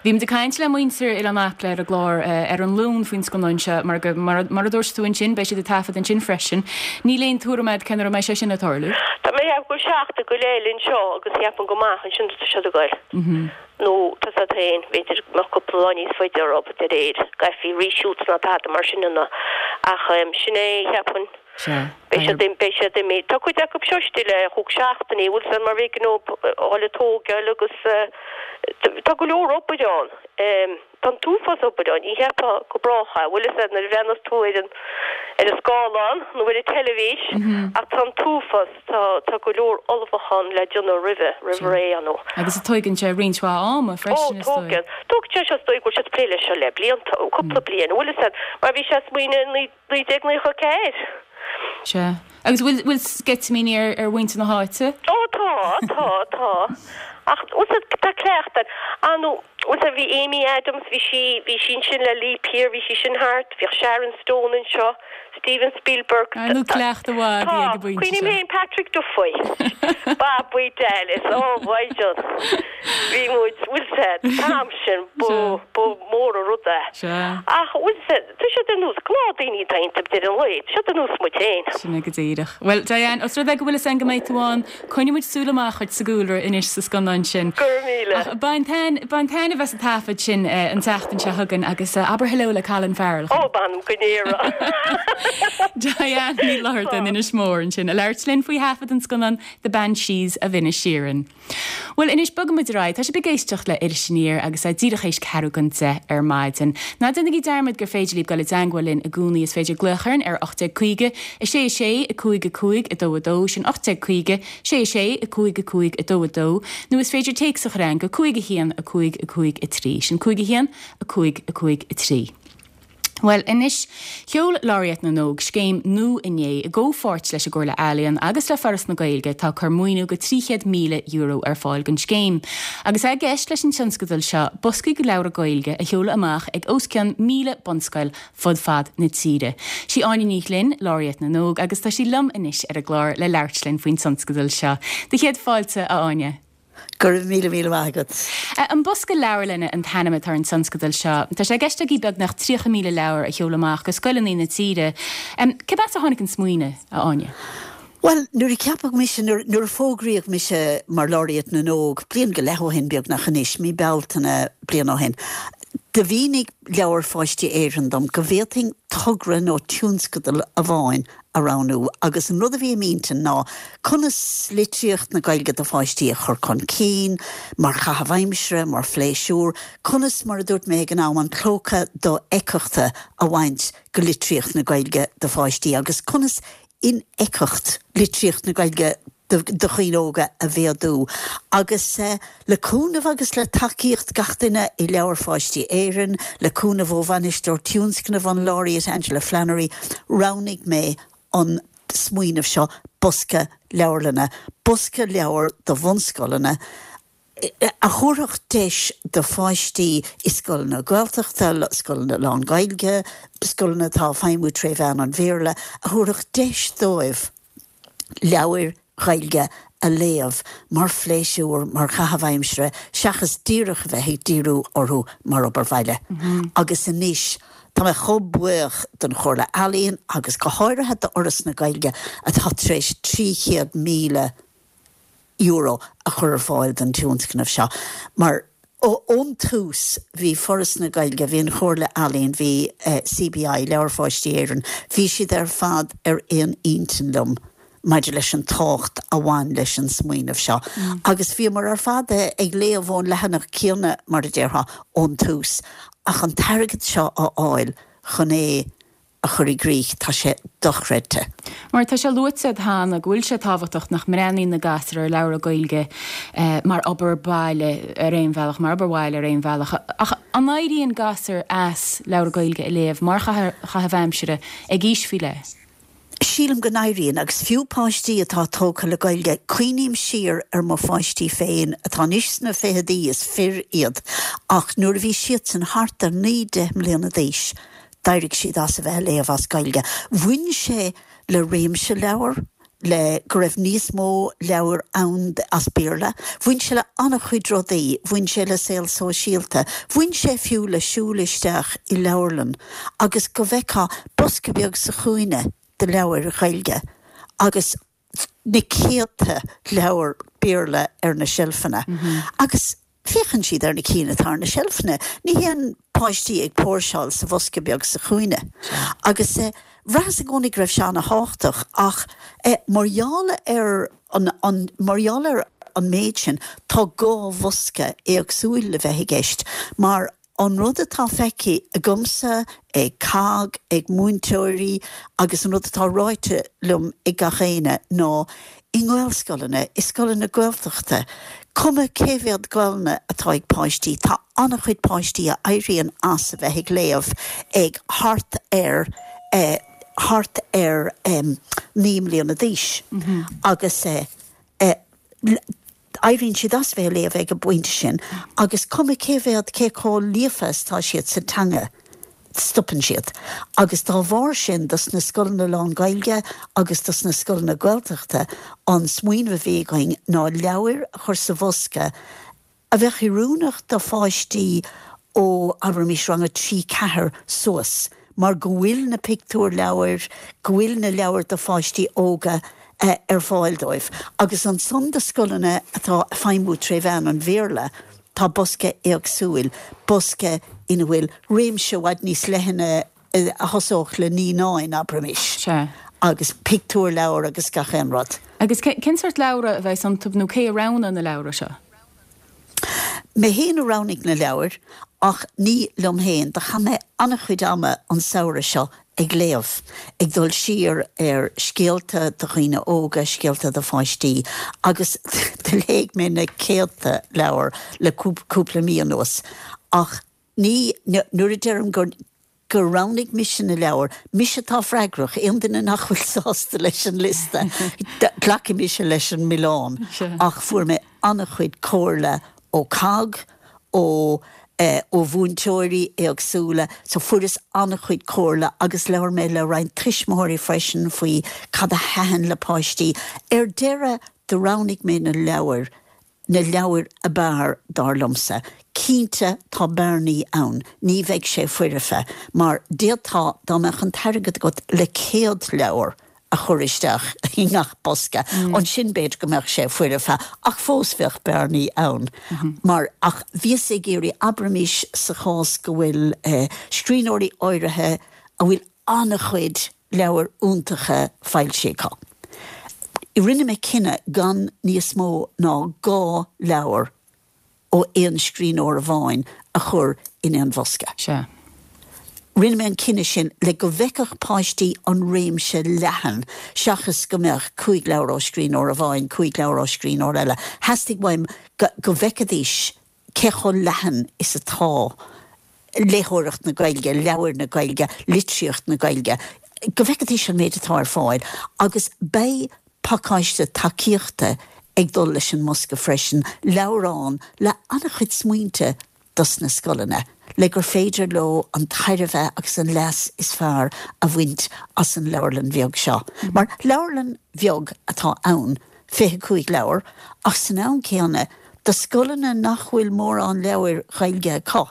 Bhí muid ag caint le muintir Oileán Acla ar an gclár ar an Luan faoin scannán seo mar go, mar a dúirt tú ansin, beidh siad ag taifead ansin freisin. Níl aon tuairim agat cén uair a mbeidh sé sin ag tarlú? Tá mé ag ceapadh go bhfuil seachtain go leith eile anseo agus cheapfainn go amach ansin tá siad ag goil. Nó tá a fhios agat féin, b'fhéidir go mbeadh cúpla lá níos faide orthu de réir, go gcaithfí reshoots ná tada mar sin a dhéanamh. Ach sin é, cheapfainn. Sea. Beidh siad, beidh siad imithe. Tá cuid acu seo istigh le chúig seachtainí, bhfuil 's a'd mar b'éigean dóibh a dhul ag tógáil agus tá go leor obair ann. Tá an t-uafás obair ann, ní cheapfá go brách é, bhfuil 'fhios a'd nuair a bhreathnas tú ar an ar an scáileán nó ar an teilifís ach tá an t-uafás, tá tá go leor ullmhúchán le déanamh roimhe, roimh ré, you know. Agus tóigeann sé roinnt mhaith ama freisin, is dóigh. Ó, tógann. Tógann sé seo, is dóigh go bhfuil siad ag plé leis seo le blianta, cúpla bliain, bhfuil 'fhios a'd, mar bhí sé ag smaoineamh i 1994. Sea. Agus bhfuil, bhfuil sceitimíní ar, ar mhuintir na háite? Ó tá, tá, tá. Ach, bhfuil 's a'd, tá cleachtadh air. Ah nó, bhfuil 's a'd, bhí Amy Adams, bhí sí, bhí sí ansin le Leap Year, bhí sí sin thart, bhíodh Sharon Stone anseo, Steven Spielberg. Ar ndóigh cleachtadh mhaith a bhí ag an bpointe seo. Cuimhním féin Patrick Duffy, Babaí Dallas, oh mhaighdean. Bhí muid, bhfuil 's a'd, an t-am sin, ba, ba mhór an rud é. Sea. Ach, bhfuil 's a'd, Tá siad ar nós gnáthdhaoine atá iontu ag deireadh an lae. Tá siad ar nós muid féin. Sin é go díreach. Bhuel, Diane, os rud é go bhfuil fhios againn go mbeidh tú ann, coinneoidh muid súil amach dhuit sa gcúlra anois sa scannán sin. Go raibh míle. Ach bain taitneamh as an taifead sin an tseachtain seo chugainn agus abair hello le Colin Farrell. Ó, m'anam go ndéarfaidh. Diane Ní Fhlatharta in Inis Mór ansin, ag labhairt linn faoi thaifead an scannáin The Banshees of Inisherin. Bhuel, anois bogfaidh muid ar aghaidh. Tá sibh ag éisteacht le Iris Aniar agus é díreach théis ceathrú don 10 ar maidin. Ná déanaigí dearmad gur féidir libh dul i dteangmháil linn i gcónaí. Is féidir glaoch orainn ar 1850 6 6 5 5 2 2, sin 1850 6 6 5 5 2 2, nó is féidir téacs a chur chugainn go 5 1 5 5 3, sin 5 1 5 5 3. Bhuel, anois, sheol Laureate na nÓg scéim nua inné i gcomhpháirt leis an gComhairle Ealaíon agus le Foras na Gaeilge atá ag cur maoiniú go €300,000 ar fáil don scéim. Agus é i gceist leis an tionscadal seo boscaí de leabhra Gaeilge a sheoladh amach ag os cionn 1,000 bunscoil fud fad na tíre. Sí Áine Ní Ghlinn, Laureate na nÓg agus tá sí liom anois ar an gclár le labhairt linn faoin tionscadal seo. Do chéad fáilte, a Áine. Go raibh míle míle maith agat. An Bosca Leabharlainne an t-ainm atá ar an tionscadal seo. Tá sé i gceist agaibh beagnach 30,000 leabhar a sheoladh amach go scoileanna na tíre. Céard as a tháinig an smaoineamh, a Áine? Bhuel, nuair a ceapadh mise, nuair a fógraíodh mise mar Laureate na nÓg, bliain go leith ó shin beagnach anois, mí Bealtaine bliain ó shin, do mhínigh Leabhair Pháistí Éireann dom go bhféadfainn togra nó tionscadal amháin a roghnú agus an rud a bhí i m'intinn ná conas litríocht na Gaeilge do pháistí a chur chun cinn, mar chaitheamh aimsire, mar phléisiúr, conas, mar a dúirt mé ag an am, an clóca dofheictheachta a bhaint go litríocht na Gaeilge do pháistí agus conas infheictheacht litríocht na Gaeilge do dhaoine óga a mhéadú agus le cúnamh agus le tacaíocht gach duine i Leabhair Pháistí Éireann, le cúnamh ó Bhainisteoir Tionscnaimh an Laureate Aingeala Flannery, roghnaigh mé an smaoineamh seo, bosca leabharlainne, bosca leabhar do bhunscoileanna, a thabharfadh deis do pháistí i scoileanna Gaeltachta, scoileanna lán-Ghaeilge, scoileanna atá ag feidhmiú tré mheán an Bhéarla, a thabharfadh deis dóibh leabhair Ghaeilge a léamh mar phléisiúr, mar chaitheamh aimsire, seachas díreach a bheith ag díriú orthu mar obair bhaile. Agus anois, tá mé chomh buíoch don Chomhairle Ealaíon agus go háirithe d'Fhoras na Gaeilge atá tar éis €300,000, euro a chur ar fáil don tionscnamh seo mar ón tús bhí Foras na Gaeilge, bhí an Chomhairle Ealaíon, bhí CBI, Leabhair Pháistí Éireann, bhí siad ar fad ar aon intinn liom maidir leis an tábhacht a bhain leis an smaoineamh seo agus bhíomar ar fad ag léamh ón leathanach céanna, mar a déarfá, ón tús ach an t-airgead seo a fháil chun é. a chur i gcrích, tá sé dochreidte. Mar tá sé luaite agat cheana go bhfuil sé tábhachtach nach mbreathnaíonn na gasúir ar leabhra Gaeilge mar obair baile ar aon bhealach, mar obair bhaile ar aon bhealach. Ach an éiríonn gasúir as leabhra Gaeilge a léamh mar chaitheamh aimsire ag aois faoi leith? Sílim go n-éiríonn, agus fiú páistí atá tógtha le Gaeilge, cuimhním siar ar mo pháistí féin atá anois sna ficheadaí, is fir iad, ach nuair a bhí siadsan thart ar naoi, deich mbliana d'aois, d'éirigh siad as a bheith ag léamh as Gaeilge. Bhain sé le réimse leabhar, le go raibh níos mó leabhar ann as Béarla. Bhain sé le an-chuid rudaí, bhain sé le saol sóisialta, bhain sé fiú le siúl isteach i leabharlann agus go bhfeicfeá bosca beag sa chúinne de leabhair Ghaeilge agus na céadta leabhar Béarla ar na seilfeanna. Agus féachann siad ar na cinn atá ar na seilfeanna. Ní théann páistí ag póirseáil sa bhosca beag sa chúinne. Agus bhraitheas i gcónaí go raibh sé ana-thábhachtach ach mar gheall ar an, mar gheall ar an méid sin, tá dhá bhosca éagsúil le bheith i gceist mar An rud atá feicthe agamsa, ag COGG, ag múinteoirí agus an rud atá ráite liom ag gach éinne ná i nGaelscoileanna, i scoileanna Gaeltachta, cuma cé mhéad Gaelainne atá ag páistí, tá an-chuid páistí a éiríonn as a bheith ag léamh ag thart ar, thart ar 9 mbliana d'aois agus Éiríonn siad as bheith ag léamh ag an bpointe sin agus cuma cé mhéad, cé chomh líofa is atá siad sa teanga, stopann siad. Agus dá bharr sin, dos na scoileanna lán-Ghaeilge agus dos na scoileanna Gaeltachta, an smaoineamh a bhí againn ná leabhair a chur sa bhosca a bheadh oiriúnach do pháistí ó, abraimis, rang a 3, 4 suas, mar go bhfuil na pictiúrleabhair, go bhfuil na leabhair do pháistí óga ar fáil dóibh. Agus ansan do scoileanna atá ag feidhmiú tré mheán an Bhéarla, tá bosca éagsúil, bosca ina bhfuil réimse i bhfad níos leithne a thosódh le naíonáin, abraimis, agus pictiúrleabhair agus gach aon rud. Agus cén sórt leabhra a bheas iontu nó cé a roghnaigh na leabhra seo? Mé féin a roghnaigh na leabhair, ach ní liom féin. Do chaith mé an-chuid ama an samhradh seo ag léamh, ag dul siar ar scéalta do dhaoine óga, scéalta do pháistí, agus do léigh mé na céadta leabhar le cúpla mí anuas. Ach ní, nuair a deirim gur. gur roghnaigh mise na leabhair, mise atá freagrach, aon duine nach bhfuil sásta leis an liosta, glacfaidh mise leis an milleán. Ach fuair mé an-chuid comhairle ó COGG, ó ó mhúinteoirí éagsúla, so fuaireas an-chuid comhairle agus labhair mé le roinnt tuismitheoirí freisin faoi cad a thaitin le páistí. Ar deireadh, do roghnaigh mé na leabhair na leabhair ab fhearr, dar liomsa. Cinnte, tá bearnaí ann, ní bheidh sé foirfe, mar d'fhéadfá, dá mbeadh an t-airgead agat le 100 leabhar a chur isteach i ngach bosca, ansin b'fhéidir go mbeadh sé foirfe, ach fós bheadh bearnaí ann. Mar, ach bhíos ag iarraidh, abraimis sa chás go bhfuil scríbhneoirí áirithe a bhfuil an-chuid leabhair iontacha foilsithe acu. Rinne mé cinneadh gan níos mó ná dhá leabhar ó aon scríbhneoir amháin a chur in aon bhosca. Sea. Rinne mé an cinneadh sin le go bhfeicfeadh páistí an réimse leathan seachas go mbeadh cúig leabhar ó scríbhneoir amháin, cúig leabhar ó scríbhneoir eile. Theastaigh uaim go bhfeicfidís cé chomh leathan is atá léitheoireacht na Gaeilge, leabhair na Gaeilge, litríocht na Gaeilge, go bhfeicfidís an méid atá ar fáil agus beidh pacáiste tacaíochta ag dul leis an mbosca freisin, leabhrán le an-chuid smaointe dos na scoileanna le gur féidir leo an tairbhe agus an leas is fearr a bhaint as an leabharlann bheag seo. Mar leabharlann bheag atá ann, 25 leabhar, ach san am céanna, do scoileanna nach bhfuil mórán leabhair Ghaeilge acu,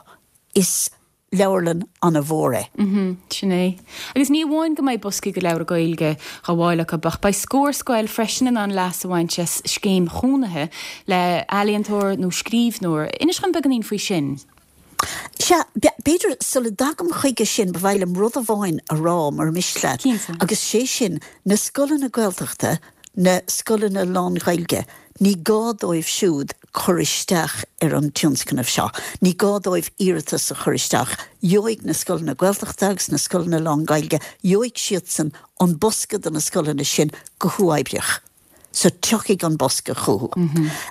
is leabharlann an-mhór é. Sin é. Agus ní amháin go mbeidh boscaí de leabhra Gaeilge á bhfáil acu, ach beidh Scór Scoil freisin in ann leas a bhaint as scéim chónaithe le ealaíontóir nó scríbhneoir. Inis dom beagáinín faoi sin. Sea, b'fhéidir sula dtagaim chuige sin, ba mhaith liom rud amháin a rá, mura miste leat, Cinnte. agus sé sin, na scoileanna Gaeltachta, na scoileanna lán-Ghaeilge. Ní gá dóibh siúd cur isteach ar an tionscnamh seo. Ní gá dóibh iarratas a chur isteach. Gheobhaidh na scoileanna Gaeltachta agus na scoileanna lán-Ghaeilge, gheobhaidh siadsan an bosca do na scoileanna sin go huathoibríoch. So tiocfaidh an bosca chucu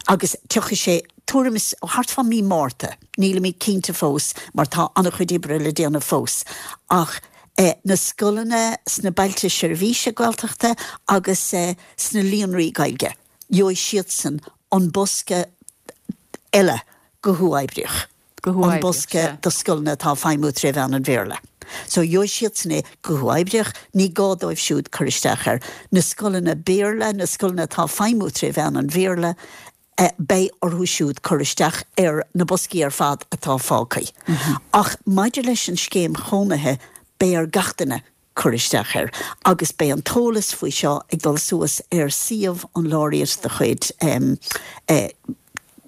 agus tiocfaidh sé tuairim is thart fá mí Márta, nílimid cinnte fós mar tá an-chuid oibre le déanamh fós ach na scoileanna sna bailte seirbhíse Gaeltachta agus sna líonraí Gaeilge, gheobhaidh siadsan an bosca eile go huathoibríoch. an bosca do scoileanna atá ag feidhmiú tré mheán an Bhéarla. So gheobhaidh siadsan é go huathoibríoch, ní gá dóibh siúd cur isteach air. Na scoileanna Béarla, na scoileanna atá ag feidhmiú tré mheán an Bhéarla, beidh orthu siúd cur isteach ar na boscaí ar fad atá fágtha. Ach maidir leis an scéim chónaithe, beidh ar gach duine cur isteach air agus beidh an t-eolas faoi seo ag dul suas ar suíomh an Laureate de chuid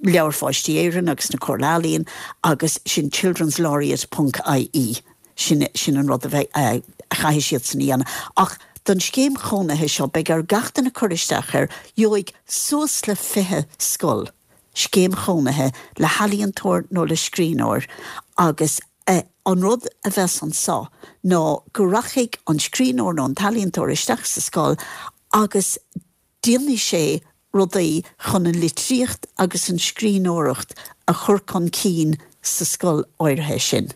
Leabhair Pháistí Éireann agus na Comhairle Ealaíon agus sin childrenslaureate ponc ie sin sin an rud a bheidh a chaithfidh siadsan a dhéanamh. Ach don scéim chónaithe seo beidh ar gach duine cur isteach air, gheobhaidh suas le 20 scoil scéim chónaithe le healaíontóir nó le scríbhneoir agus An rud a bheas anso ná go rachaidh an scríbhneoir nó an t-ealaíontóir isteach sa scoil agus déanfaidh sé rudaí chun an litríocht agus an scríbhneoireacht a chur chun cinn sa scoil áirithe sin.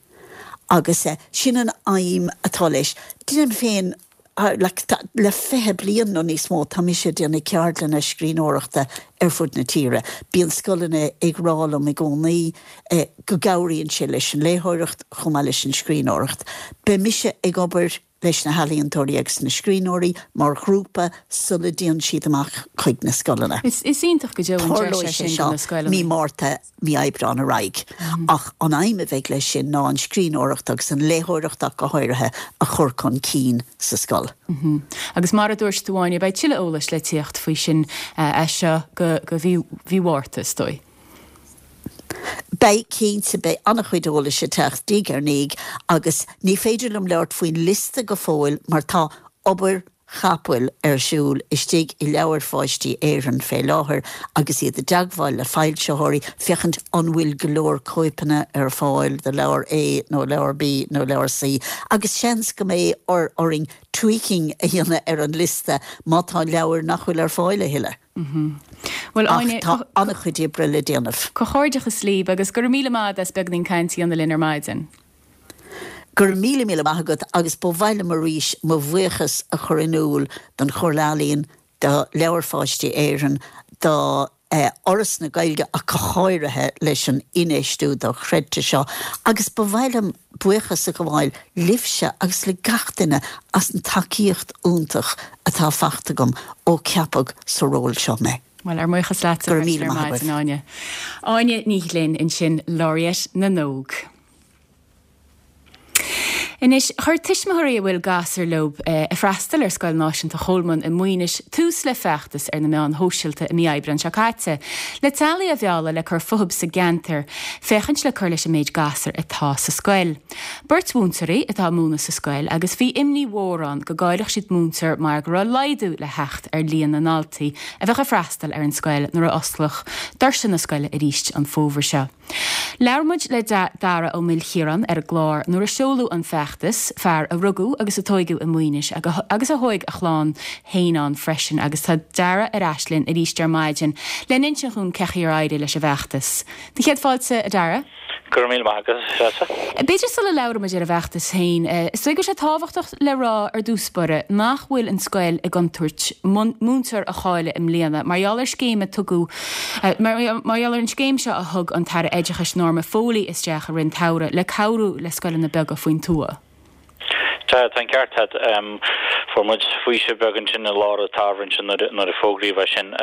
Agus sin an aidhm atá leis. Déanaim féin Le 20 bliain nó níos mó tá mise ag déanamh ceardlanna scríbhneoireachta ar fud na tíre. Bíonn scoileanna ag rá liom i gcónaí go gcabhraíonn sé leis an léitheoireacht chomh maith leis an scríbhneoireacht. Beidh mise ag obair leis na healaíontóirí agus na scríbhneoirí mar ghrúpa sula dtéann siad amach chuig na scoileanna. Is iontach go deo an deis é sin do na scoileanna. Mí Márta mí Aibreáin ar aghaidh. Ach an aidhm a bheidh leis sin ná an scríbhneoireacht agus an léitheoireacht ach go háirithe a chur chun cinn sa scoil. Agus mar a dúirt tú Áine, beidh tuilleadh eolais le tíocht faoi sin as seo go mí Mhárta, is dóigh. Beidh, cinnte, beidh an-chuid eolais ag teacht diaidh ar ndiaidh agus ní féidir liom labhairt faoin liosta go fóill mar tá obair chapaill ar siúl istigh i Leabhair Pháistí Éireann fé láthair agus iad i dteagmháil le foilsitheoirí féachaint an bhfuil go leor cóipeanna ar fáil do leabhar A nó leabhar B nó leabhar C agus seans go mbeidh orainn tweaking a dhéanamh ar an liosta má tá leabhair nach bhfuil ar fáil a thuilleadh. Bhuel, Ach tá an-chuid oibre le déanamh. Comhghairdeachas libh agus go raibh míle maith agat as beagáinín cainte a dhéanamh linn ar maidin. Go raibh míle míle maith agat agus ba mhaith liom arís mo bhuíochas a chur in iúl don Chomhairle Ealaíon, do Leabhair Pháistí Éireann, do Fhoras na Gaeilge ach go háirithe leis an infheistiú dochreidte seo agus ba mhaith liom buíochas a ghabháil libhse agus le gach duine as an tacaíocht iontach atá faighte agam ó ceapadh sa ról seo mé. Bhuel, ár mbuíochas leatsa Go raibh míle ar maith maidin, agaibh. Áine. Áine Ní Ghlinn ansin, Laureate na nÓg. Anois, chuir tuismitheoirí a bhfuil gasúir leo ag freastal ar Scoil Náisiúnta Cholmáin i Maínis tús le feachtas ar na meáin shóisialta i mí Aibreáin seo caite le teaghlaigh a mhealladh le cur fúthu sa gceantar féachaint le cur leis an méid gasúr atá sa scoil. Beirt mhúinteoirí atá ag múineadh sa scoil agus bhí imní mhór ann go gcaillfeadh siad múinteoir mar go raibh laghdú le theacht ar líon na ndaltaí a bheadh ag freastal ar an scoil nuair a osclódh doirse na scoile arís an fómhar seo. Labhair muid le Dara Ó Maoilchiaráin ar an gclár nuair a seoladh an feachtas, fear a rugadh agus a tóigeadh i Maínis agus a thóig a chlann féin ann freisin agus tá Dara ar ais linn arís ar maidin le n-insint dhúinn cén chaoi ar éirigh leis an bhfeachtas. Do chéad fáilte, a Dara. Go raibh míle maith agat, a Threasa. B'fhéidir sula labhraíonn muid ar an bhfeachtas féin, is dóigh go bhfuil sé tábhachtach le rá ar dtús báire nach bhfuil an scoil i gcontúirt múinteoir a chailleadh i mbliana mar gheall ar scéim a tugadh mar gheall ar an scéim seo a thug an tAire Oideachais Norma Foley isteach i rith an tsamhraidh le cabhrú le scoileanna beaga faoin tuath. Tá, tá an ceart agat. Fuair muid faoiseamh beag ansin i lár an tsamhraidh ansin nuair a fógraíodh é sin.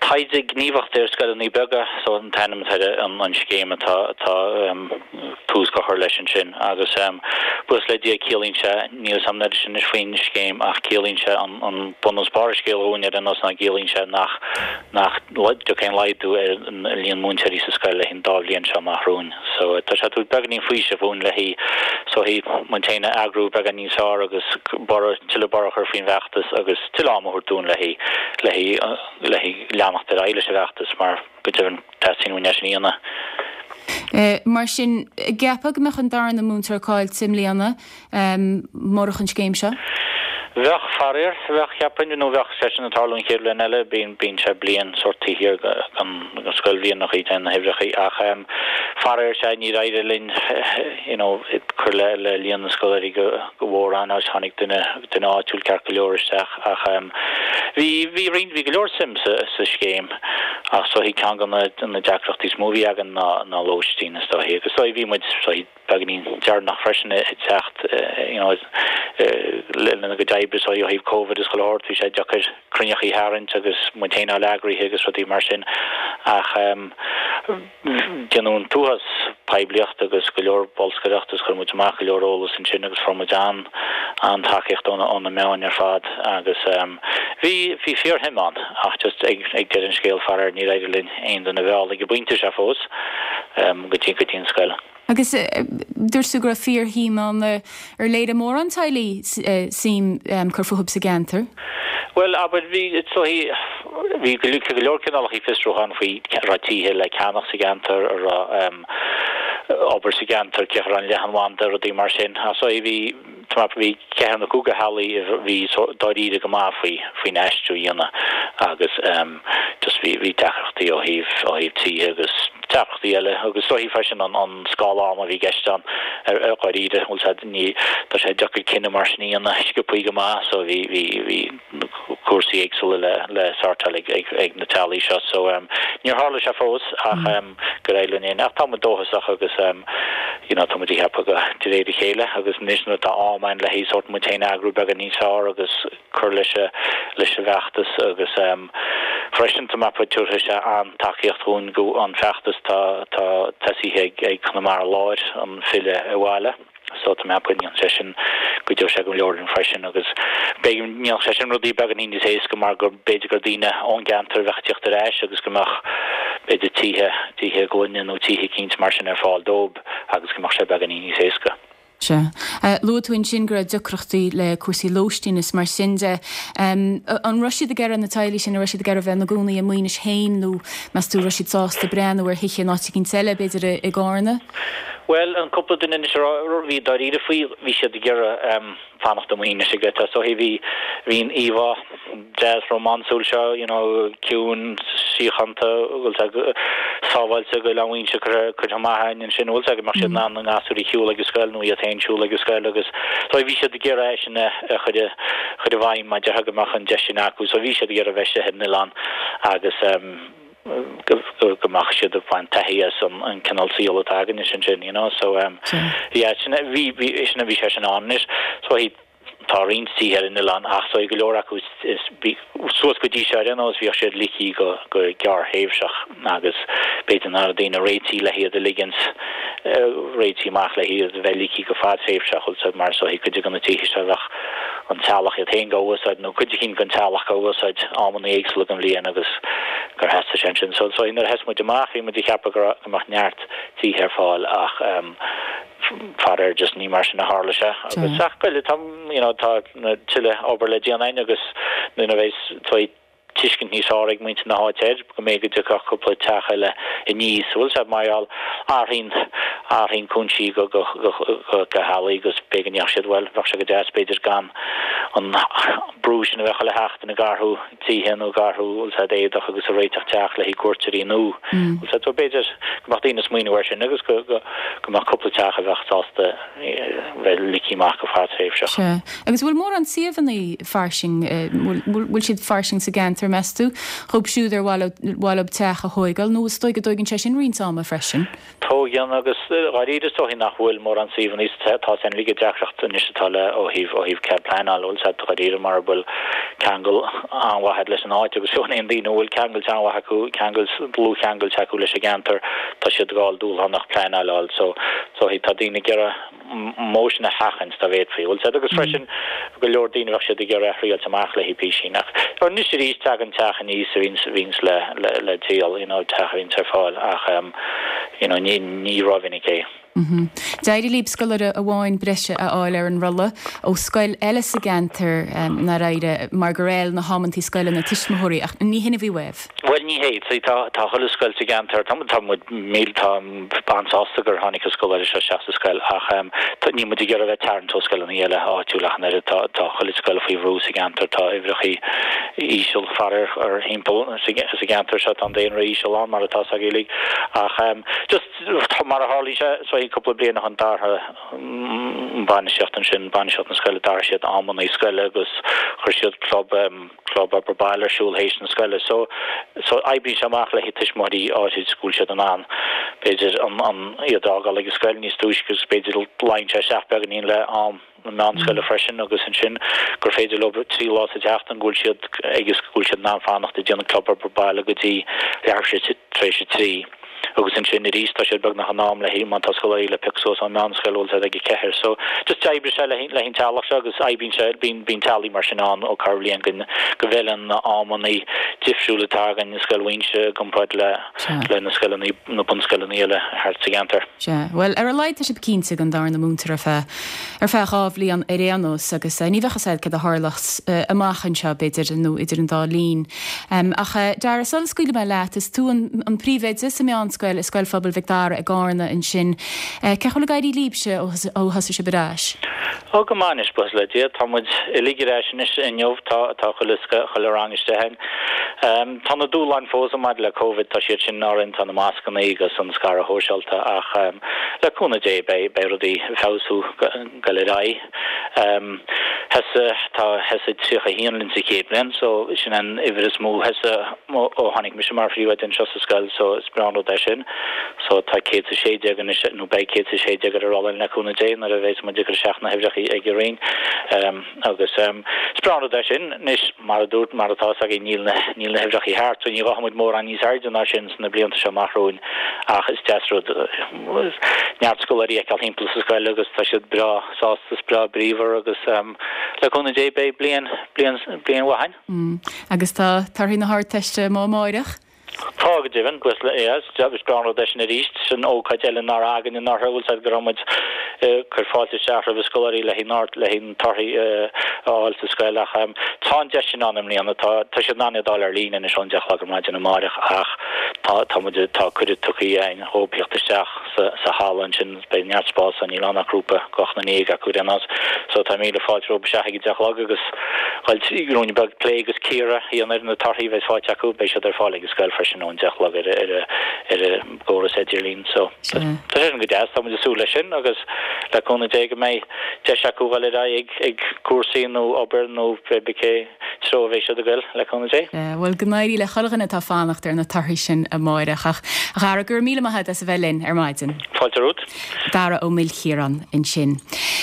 Taighde gníomhach ar scoileanna beaga, so an t-ainm atá ar an scéim atá atá tús á chur leis ansin. Agus buíochas le Dia ciallaíonn sé, níl a fhios agam an oiread sin anois faoin scéim ach ciallaíonn sé an bunús barr an scéil dhúinn ar aon nós ná ciallaíonn sé nach nach dtiocfaidh aon laghdú ar an líon múinteoirí sa scoil le haghaidh an dá bhliain seo amach romhainn. So tá sé ag tabhairt beagáinín faoisimh dhúinn le haghaidh so haghaidh muid féin a eagrú beagán níos fearr agus borradh, tuilleadh borradh a chur faoin bhfeachtas agus tuilleadh am a thabhairt dúinn le haghaidh, le haghaidh, le haghaidh leanacht. fanacht ar aghaidh leis an bhfeachtas mar go deimhin teastaíonn uainn é sin a dhéanamh. Mar sin, an gceapfá go mbeadh an darna múinteoir caillte i mbliana murach an scéim seo? Bheadh, faraor, bheadh, cheapfainn, nó bheadh sé sin ag tarlú an chéad bhliain eile, bíonn, bíonn sé bliain sórt taobh thiar den scoilbhliain an chaoi a dtéann na huimhreacha ach faraor, sea, níor éirigh linn you know cur le le líon na scoláirí go go mórán agus tháinig duine, duine áitiúil ceart go leor isteach ach bhí, bhí roinnt, bhí go leor suim sa, sa scéim ach is dóichí ceann de na, na deacrachtaí is mó a bhí againn ná, ná lóistín is dóichí agus is dóichí bhí muid, is dóichí, beagáinín deireanach freisin ag teacht you know lena gcuid oibre so ó thaobh Covid is chuile shórt bhí sé deacair cruinneachaí a tharraingt agus muid féin a fháil eagraithe agus rudaí mar sin ach déanadh an t-uafás poiblíocht agus go leor bolscaireacht agus chuir muid amach go leor eolas ansin agus fuair muid an an-tacaíocht ó na meáin ar fad agus bhí bhí fíorshuim ann ach just ag ag deireadh an scéil faraor níor éirigh linn aon duine a mhealladh ag an bpointe seo fós go dtí go dtí an scoil. Agus dúirt tú go raibh fíorshuim ann. Ar léirigh mórán teaghlaigh suim cur fúthu sa gceantar? Bhuel, abair, bhí, is dóichí, bhí go leor cineálacha fiosrúchán faoi an raibh tithe le ceannach sa gceantar, an raibh obair sa gceantar, cén chaoi a raibh an leathanbhanda, rudaí mar sin. Ach is dóichí, bhí, tá mé, bhí ceathrar nó cúigear teaghlaigh a bhí dáiríre go maith faoi, faoin aistriú a dhéanamh agus just bhí, bhí deacrachtaí ó thaobh, ó thaobh tithe agus deacrachtaí eile agus is dóichí freisin an an scála ama a bhí i gceist ann ar ar dháiríre, bhfuil sé ní tá sé deacair cinneadh mar sin a dhéanamh sciobthaí go maith so bhí bhí bhí cúrsaí éagsúla le le sortáil ag ag ag na teaghlaigh seo so níor tharla sé fós ach go raibh linn ach tá muid dóchasach agus you know tá muid ag ceapadh go de réir a chéile agus anois nuair atá am againn le haghaidh sórt muid féin a eagrú beagán níos fearr agus cur leis leis an bhfeachtas agus freisin tá mé ag ceapadh tabharfaidh sé an-tacaíocht dhúinn go an feachtas tá tá tosaithe ag ag Conamara Láir an filleadh abhaile so tá mé ag ceapadh go ndéanfaidh sé sin cuideoidh sé go leor linn freisin agus b'fhéidir go ndéanfadh sé sin rudaí beagáinín níos éasca mar go b'fhéidir gur daoine ón gceantar a bheadh ag tíocht ar ais agus go mbeadh b'fhéidir tithe tithe gloine nó tithe eicínt mar sin ar fáil dóibh agus go mbeadh sé beagáinín níos éasca. Sea. Luaigh tú ansin go raibh deacrachtaí le cúrsaí lóistín is mar sin de. An raibh siad ag iarraidh, na teaghlaigh sin, an raibh siad ag iarraidh bheith ina gcónaí i Maínis féin nó meas tú raibh siad sásta breathnú ar thithe in áit eicínt eile, b'fhéidir i gCarna? Bhuel, an cúpla duine anois a raibh, bhí dáiríre faoi, bhí siad ag iarraidh fanacht i Maínis ag is dóichí bhí, bhí an íomhá deas rómánsúil seo, you know, ciúin, síochánta, bhfuil sé sábháilte go Oileán Mhaínse curtha, curtha amach againn ansin, bhfuil sé go mbeadh siad in ann a ngasúir a shiúl ag an scoil nó iad féin siúl ag an scoil agus so bhí siad ag iarraidh é sin a chur i, chur i bhfeidhm mar déarfá go mbeadh an deis sin acu. So bhí siad ag iarraidh a bheith istigh ar an oileán agus ehm go, go, go mbeadh siad ag baint taithí as an, an cineál saol atá againn ansin, you know, so ehm yeah, sin, bhí, bhí, sin, bhí sé sin ann anois. So bhí. Tá roinnt tithe ar an oileán ach tá go leor acu suas go dtí seo ar aon nós bhíodh siad ligthe go gearrthréimhseach agus b'fhéidir nach raibh daoine réitithe le hiad a ligint réitithe amach le hiad a bheith ligthe go fadtréimhseach bhfuil 's a'd mar is dóichí cuid de na tithe seo bheadh an teaghlach iad féin dhá úsáid nó cuid eicínt den teaghlach dhá úsáid amanna éagsúla den bhliain agus gur theastaigh sé ansin. So nuair a thosaigh muid amach bhí muid ag ceapadh go mbeadh neart tithe ar fáil ach faraor just ní mar sin a tharla sé agus ach go tá you know tá tuilleadh obair le déanamh againn agus nuair a bheidh tuiscint níos fearr ag muintir na háite air go mb'fhéidir go dtiocfadh cúpla teach eile aníos bhfuil 's a'd mar gheall athraíonn athraíonn cúinsí go go go go teaghlaigh agus b'fhéidir go ndéarfadh siad bhuel bheadh sé go deas b'fhéidir gan an brú sin a bheith chuile sheachtain ag athrú tithe nó ag athrú bhfuil 's a'd éadach agus ag réiteach teach le haghaidh cuairteoirí nó bhfuil 's a'd so b'fhéidir go mbeadh daoine ag smaoineamh air sin agus go go go mbeadh cúpla teach a bheadh sásta bheith ligthe amach go fadtréimhseach. Sea. Agus bhfuil mórán suíomhanna fairsing, bhfuil bhfuil siad fairsing sa gceantar, meas tú, dhóibh siúd ar mhaith leo mhaith leo teach a thóigeáil nó is dóigh go dtóigeann sé sin roinnt ama freisin? Tóigeann agus dháiríre is dóichí nach bhfuil mórán suíomhanna tá sin uilig an deacracht anois atá le ó thaobh ó thaobh cead pleanáil bhfuil 's a'd dháiríre mura bhfuil ceangal an-mhaith agat leis an áit agus fiú aon daoine a bhfuil ceangailt an-mhaith acu ceangailt dlúthcheangailt acu leis an gceantar tá siad ag fáil dúshlánach pleanáil a fháil so so tá daoine ag iarraidh modh sin a sheachaint dá bhféadfaí. Bhfuil 's a'd agus freisin go leor daoine bheadh siad ag iarraidh a thriailt amach le haghaidh písín ach anois arís tagann teach aníos a bhíonns bhíonns le le le díol you know teach a bhíonns ar fáil ach you know ní ní rómhinic é. D'éirigh libh scoláire amháin breise a fháil ar an rolla ó scoil eile sa gceantar, nár éirigh, mar gur fheil na hamantaí scoile na tuismitheoirí, ach ní hin a bhí uaibh. Bhuel, ní hé. See, tá, tá chuile scoil sa gceantar, tá, tá muid, míl, tá an-sásta gur tháinig an scoláire seo isteach sa scoil ach tá, níl muid ag iarraidh a bheith ag tarraingt ó scoileanna eile áitiúil ach an oiread. Tá, tá chuile scoil faoi bhrú sa gceantar, tá uimhreachaí íseal faraor thimpeall sa, sa gceantar seo, tá an daonra íseal ann mar atá 's agaibh uilig ach just mar a tharlaíonn sé, so cúpla bliain ó shin d'athraigh an bainistíocht ansin, bainistíocht na scoile, d'athraigh siad amannaí scoile agus chuir siad club, club obair baile ar siúl théis na scoile. So, so oibríonn sé amach le haghaidh tuismitheoirí áirid go bhfuil siad in ann, b'fhéidir, an, an, iad a fhágáil ag an scoil níos túisce agus b'fhéidir luíonn sé isteach beagáinín le am na meánscoile freisin agus ansin gur féidir leo 3 lá sa tseachtain go bhfuil siad ag go bhfuil siad in ann fanacht ag déanamh club obair baile go dtí leathuair tar éis a 3. Agus ansin arís tá siad beagnach in am le haghaidh má tá scoláirí le piocadh suas ón meánscoil bhfuil siad ag a ceathair. So just d'oibrigh sé le haghaidh an teaghlach seo agus oibríonn sé, bíonn, bíonn teaghlaigh mar sin ann ó corrbhliain go, go bhfeileann na amannaí difriúla atá againn i Scoil Mhuínse i gcomparáid le, le na scoileanna, na bunscoileanna eile thart sa gceantar. Sea. Bhuel, ar a laghad tá sibh cinnte den darna múinteoir ar feadh, ar feadh 2 bhliain ar aon nós agus ní bheadh fhios a'd céard a tharlós amach anseo, b'fhéidir, nó idir an dá linn. Ach Dara, sula scaoilfidh mé leat, is tú an príomhoide sa meánscoil i Scoil Phobail Mhic Dara i gCarna ansin. Cén chaoi a bhfuil ag éirí libhse ó thosaigh sibh ar ais? Ó, go maith anois, buíochas le Dia. Tá muid uilig ar ais anois inniu, tá tá chuile chuile rang istigh againn. Tá na dúshláin fós ann maidir le Covid, tá siad sin orainn, tá na mascanna agus an scaradh shóisialta ach le cúnamh Dé beidh beidh rudaí ag feabhsú ag dul ar aghaidh. Thosaigh, tá, thosaigh 31 linn sa chéad bhliain so sin an uimhir is mó a thosaigh ó tháinig mise mar phríomhoide anseo sa scoil so is breá an rud é sin. So tá 116 anois, nó beidh 116 ar an rolla le cúnamh Dé nuair a bheas muid ag cur isteach na huimhreacha ag an Roinn. Agus is breá an rud é sin. Anois, mar a dúirt, mar atá 'fhios againn níl na, níl na huimhreacha thart so ní ghabhfaidh muid mórán níos airde ná sin sna blianta seo amach romhainn ach is deas rud neart scoláirí a fheiceáil thimpeall sa scoil agus tá siad breá sásta is breá bríomhar agus le cúnamh Dé beidh bliain, bliain, bliain mhaith againn. Agus tá torthaí na hArdteiste amuigh amáireach? Tá, go deimhin, buíochas le Dia. Is breá an rud é sin arís. Sin ócáid eile nach raibh againn anuraidh, bhfuil 's a'd go raibh muid ag cur fáilte isteach roimh scoláirí le haghaidh an, le haghaidh na torthaí a fháil sa scoil ach tá an deis sin ann i mbliana. Tá, tá siad in ann iad a fháil ar líne anois ón 10 a chlog ar maidin amáireach ach tá, tá muid, tá cuireadh tugtha againn dhóibh theacht isteach sa, sa halla ansin. Beidh neart spáis ann, níl ann ach grúpa de ochtar ndéag acu ar aon nós. So tá míle fáilte rompu isteach ag a deich a chlog agus dhul trí ruainne beag plé agus cíoradh a dhéanamh ar na torthaí a bheas faighte acu. Beidh siad ar fáil ag an scoil freisin ón deich a chlog ar ar ar an gcóras idirlín. So tá sé sin go deas, tá muid ag súil leis sin agus le cúnamh Dé go mbeidh deis acu dhul ar aghaidh ag ag cúrsaí nó obair nó pé cé treo a bheidh siad ag goil, le cúnamh Dé. Bhuel, go n-éirí le chuile dhuine atá ag fanacht ar na torthaí sin amáireach. Ach, a Dhara, go raibh míle maith agat as a bheith linn ar maidin. Fáilte romhat. Dara Ó Maoilchiaráin ansin.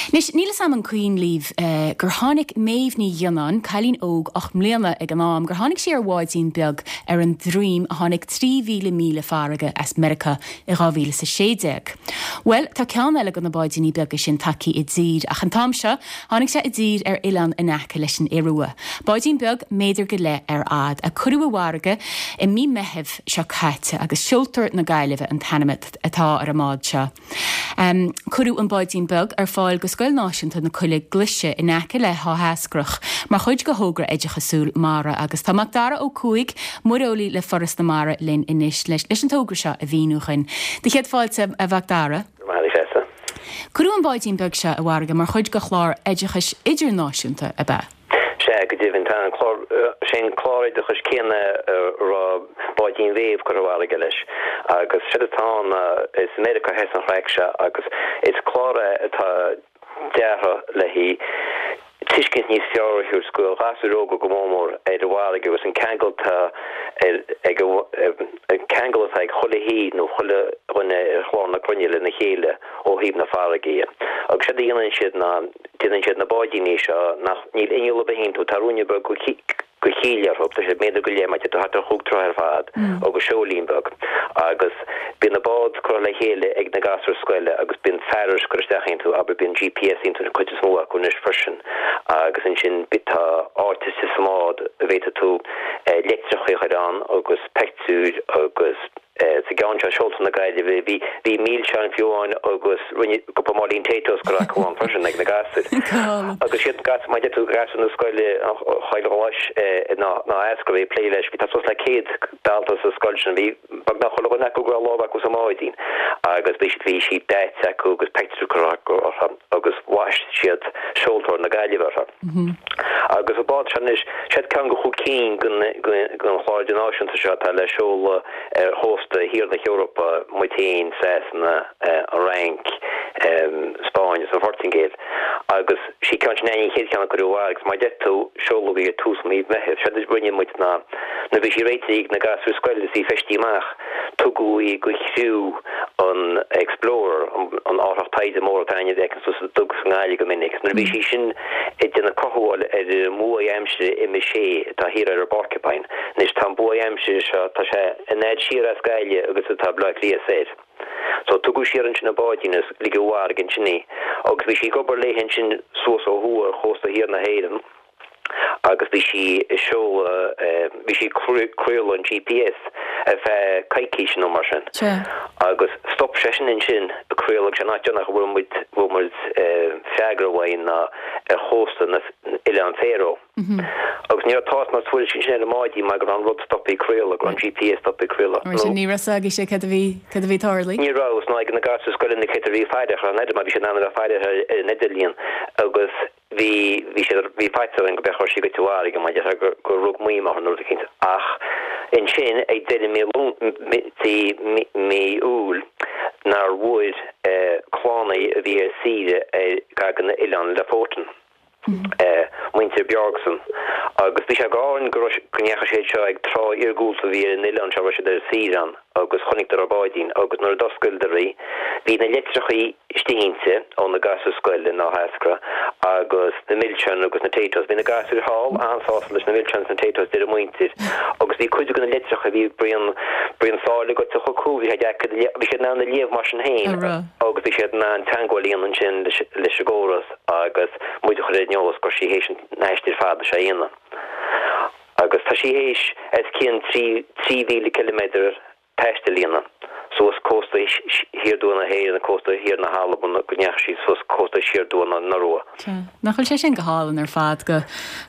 Anois, níl 'fhios a'm an cuimhin libh gur tháinig Méabh Ní Ghionnáin, cailín óg 8 mbliana ag an am, gur tháinig sí ar bháidín beag ar an Dream a tháinig 3,000 míle farraige as Meiriceá i 2016. Bhuel, tá ceann eile de na báidíní beaga sin tagthaí i dtír, ach an t-am seo, tháinig sé i dtír ar oileán in aice leis an Iorua. Báidín beag, méadar go leith ar fhad, a cuireadh i bhfarraige i mí Meithimh seo caite agus Seoltóir na Gaillimhe an t-ainm atá ar an mbád seo. Cuireadh an báidín beag ar fáil go Scoil Náisiúnta na Coille Glaise in aice le hÁth Eascrach mar chuid de thogra oideachasúil mara agus tá Macdara Ó Cuaig, muireolaí le Foras na Mara linn anois leis an togra seo a mhíniú dhuinn. Do chéad fáilte, a Mhacdara. Go raibh maith agat, a Threasa. Cuireadh an báidín beag seo i bhfarraige mar chuid de chlár oideachais idirnáisiúnta, ab ea? Sea, go deimhin. Tá an clár, sé an clár oideachais céanna a raibh Báidín Mhéabh curtha i bhfarraige leis. Agus séard atá ann ná, is i Meiriceá a thosaigh an chraic seo agus is clár é atá deartha le haghaidh tuiscint níos fearr a thabhairt do ghasúir óga go mór mór ar an bhfarraige agus an ceangal atá ar ag an ceangal atá ag chuile thír nó chuile dhuine ar chlár na cruinne lena chéile ó thaobh na farraige dhe. Agus séard a dhéanann siad ná déanann siad na báidíní seo nach níl inneall ar bith iontu, tá ruainne beag de chill orthu, tá siad méadar go leith, mar thart ar chúig troithe ar fad agus seoilín beag. Agus bíonn an bád curtha le chéile ag na gasúir scoile agus bíonn fearais curtha isteach iontu, abair bíonn GPS iontu an chuid is mó acu anois freisin agus ansin tá áit istigh sa mbád a bhféadfaidh tú leictreacha a chur ann agus peictiúir agus. Sa gceann seo, Seoltóir na Gaillimhe, bhí bhí milseáin fiú amháin agus rinne cúpla máilín Taytos curtha acu ann freisin ag na gasúir. Agus siad gasúir, mar a deir tú, gasúir na scoile, an Choill Ghlais in Áth Eascrach a bhí ag plé leis. Bhí tá suas le 100 dalta sa scoil sin. Bhí beagnach chuile dhuine acu go raibh lámh acu sa mbáidín agus bhí siad bhí siad daite acu agus pictiúir curtha acu orthu agus bhaist siad Seoltóir na Gaillimhe orthu. Agus an bád seo anois, siad ceann de chúig cinn den chlár idirnáisiúnta seo atá le seoladh ar chósta thiar na hEorpa, muid féin, Sasana, an Fhrainc, Spáinn agus an Phortaingéil. Agus sí ceann sin an chéad cheann a cuireadh i bhfarraige agus mar a deir tú, seoladh í ag tús mhí Mheithimh. Séard a rinne muid ná, nuair a bhí sí réitithe ag na gasúir scoile is í feistithe amach, Tugadh í go chriú an Explorer, an árthach taighde mór atá againn a fheiceann tú sa duga sa nGaillimh go minic. Nuair a bhí sí sin ag déanamh cothabháil ar an mbuaidh aimsire M6 atá thiar ar an bPorcupine. Anois tá an buaidh aimsire seo, tá sé an fhad siar as Gaillimh agus atá Baile Átha Cliath soir. So tugadh siar ansin an báidín is ligeadh i bhfarraige ansin í. Agus bhí sí ag obair léi ansin suas ó thuaidh ar chósta thiar na hÉireann. agus bhí sí ag seoladh, bhí sí ag craoladh an GPS ar feadh coicíse nó mar sin. Agus stop sé sin ansin ag craoladh agus an áit deireanach a bhfuair muid, bhfuair muid freagra uaidh ná ar chósta na Oileán Faroe. Agus ní raibh tásc ná tuairisc ansin ar an mbáidín mar go raibh an rud stoptha ag craoladh, go raibh an GPS stoptha ag craoladh. Mar sin ní raibh a fhios agaibhse cad a bhí, cad a bhí ag tarlú? Ní raibh, is ná ag na gasúir scoile na céadta a bhí ag faire ar an idir, mar bhí siad in ann a bheith ag faire ar an idirlíon agus Bhí, bhí siad, bhí faitíos orainn go b'fhéidir go raibh sí goite i bhfarraige, mar déarfá gur, gur rug maidhm orthu nó rud eicínt. Ach ansin, ag deireadh mí Lún, mí, mí Iúil, nár bhfuair clann a bhí ar saoire ar gar do na Oileáin Lofoten, muintir Bjorgsen, agus bhí sé go hálainn go raibh, go ndeachaigh siad seo ag trá iargúlta a bhí ar an oileán seo, a raibh siad ar saoire ann. agus chonaiceadar an báidín agus nuair a d'oscaileadar í bhí na litreachaí istigh inti ó na gasúir scoile in Áth Eascrach agus na milseáin agus na Taytos. Bhí na gasúir thall an-sásta leis na milseáin agus na Taytos deir a muintir agus bhí cuid de na litreacha bhí braon braon sáile goite chucu bhí sé deacair a léamh bhí siad in ann a léamh mar sin féin agus bhí siad in ann teagmháil a dhéanamh ansin leis leis an gcóras agus muid a chur ar an eolas go raibh sí théis an aistir fada seo a dhéanamh. Agus tá sí théis os cionn 3,000 ciliméadar taistil a dhéanamh, suas cósta thiar aduaidh na hÉireann, cósta thiar na hAlban, go ndeachaigh sí suas cósta siar aduaidh na Iorua. Sea. Nach bhfuil sé sin go hálainn ar fad, go,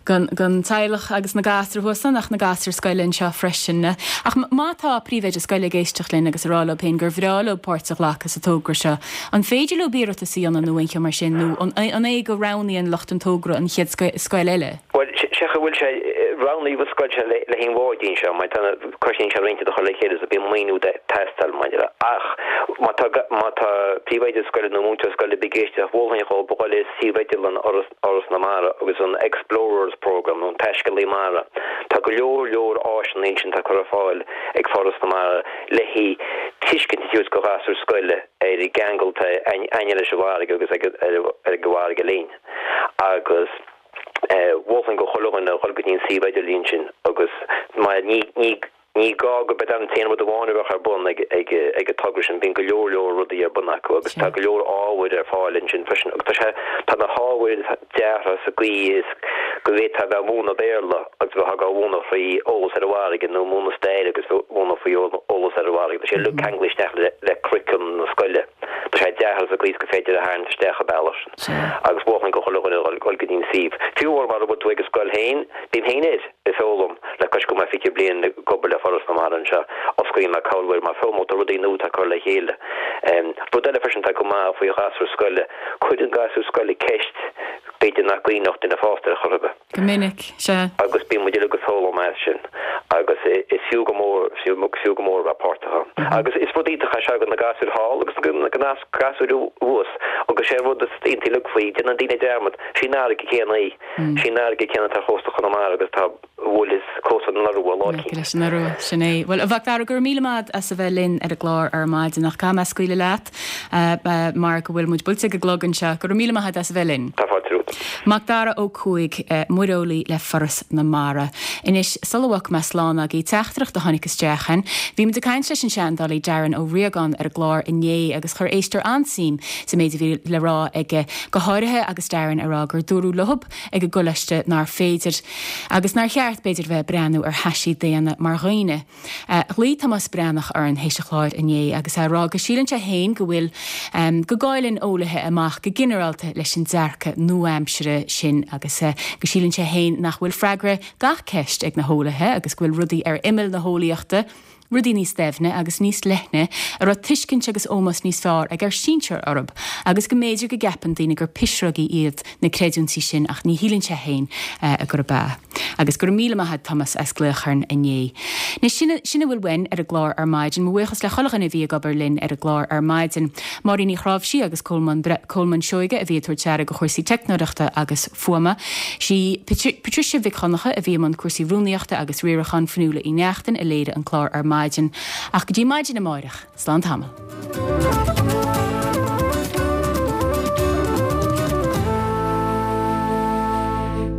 don teaghlach agus na gasúir thuas ann ach na gasúir scoile anseo freisin. Ach má tá príomhoide scoile ag éisteacht linn agus ag rá leo féin gur bhreá leo páirt a ghlacadh sa togra seo, an féidir leo iarratas a dhéanamh nó aon cheo mar sin nó an é go roghnaíonn lucht an togra an chéad scoil eile? Bhuel, sé chaoi bhfuil sé, roghnaíodh an scoil seo le haghaidh an bháidín seo, mar tá na cúrsaí seo roinnte do chur le chéile so bíonn maoiniú ag teastáil maidir le. Ach má tá, má tá príomhoide scoile nó múinteoir scoile ar bith ag éisteacht, mholfainn dhóibh a dhul ar suíomh idirlín Fhoras, Fhoras na Mara agus an Explorers Programme nó an Taiscéalaí Mara. Tá go leor, leor áiseanna ansin atá curtha ar fáil ag Foras na Mara le haghaidh tuiscint a thabhairt do ghasúir scoile ar an gceangal atá againne leis an bhfarraige agus ag, ar an bhfarraige linn. Agus. Mholfainn go chuile dhuine a dhul go dtí an suíomh idirlín sin agus mar ní, ní, ní gá go b'é an t-aon rud amháin a bheadh ar bun ag, ag, ag an togra sin, bíonn go leor leor rudaí ar bun acu agus tá go leor ábhair ar fáil ansin freisin agus tá sé, tá na hábhair deartha sa gcaoi is go bhféadfá a bheith ag múineadh Béarla agus bheith á mhúineadh faoi eolas ar an bhfarraige nó múineadh staire agus bheith múineadh faoi eolas ar an bhfarraige, tá sé uilig ceanglaithe isteach le, le curriculum na scoile. Tá sé deartha sa gcaoi is gur féidir a tharraingt isteach an bealach sin. Agus mholfainn go chuile dhuine dhul go dtí an suíomh. Fiú amháin mara bhfuil tú ag an scoil féin, bím féin air ag foghlaim, le cois go bhfuil mé 20 bliain ag obair le Foras na Mara anseo, osclaíonn mé corruair mar foghlaim tá rudaí nua atá curtha le chéile. Rud eile freisin atá go maith faoi ghasúir scoile, cuireann gasúir scoile ceist b'fhéidir nach gcuimhneodh duine fásta air chor ar bith. Go minic, sea. Agus bíonn muid uilig ag foghlaim as sin agus is fiú go mór, is fiú go mór a bheith páirteach ann. Agus is rud iontach é seo do na gasúir thall agus do na gasúir thuas agus sé an rud is iontaí uilig faoi, déanann daoine dearmad, sí an fharraige chéanna í, sí an fharraige chéanna atá ar chósta Chonamara agus atá a bhuaileas cósta na Iorua lá eicínt. Leis an Iorua, sin é. Bhuel, a Mhac Dara, go raibh míle maith as a bheith linn ar an gclár ar maidin ach caithfidh mé scaoileadh leat mar go bhfuil muid buailte ag an gclog anseo. Go raibh míle maith agat as a bheith linn. Tá fáilte romhat. agat. Macdara Ó Cuaig, muireolaí le Foras na Mara. Anois, sula bhfágfaidh mé slán agaibh, teachtaireacht a tháinig isteach chugainn. Bhí muid ag caint leis an seandálaí Darren Ó Riagáin ar an gclár inné agus chuir éisteoir an-suim sa méid a bhí le rá aige, go háirithe agus Darren ag rá gur dúradh leothab ag an gcoláiste nár féidir, agus nár cheart, b'fhéidir, bheith ag breathnú ar thaisí daonna mar dhaoine. Ghlaoigh Tomás Breathnach orainn théis an chláir inné agus é ag rá go síleann sé féin go bhfuil, go gcailleann eolaithe amach go ginearálta leis an dearcadh nua-aimsire sin agus go síleann sé féin nach bhfuil freagra gach ceist ag na heolaithe agus go bhfuil rudaí ar imeall na heolaíochta, rudaí níos doimhne agus níos leithne a raibh tuiscint agus ómós níos fearr ag ár sinsir orthu agus go mb'fhéidir go gceapann daoine gur pisreogaí iad na creidiúintí sin ach ní shíleann sé féin gurb ea. Agus go raibh míle maith a't Tomás as glaoch orainn inné. Anois sin, sin a bhfuil uainn ar an gclár ar maidin. Mo bhuíochas le chuile dhuine a bhí ag obair linn ar an gclár ar maidin. Máirín Uí Chráimhsí agus Colmán, Colmán Seoige a bhí ag tabhairt aire do chúrsaí teicneoireachta agus fuaime. Sí Patricia Mhic Dhonncha a bhí i mbun cúrsaí rúnaíochta agus riaracháin Fionnuala Uí Neachtain a léirigh an clár ar maidin. Ach go dtí maidin amáireach, slán tamall.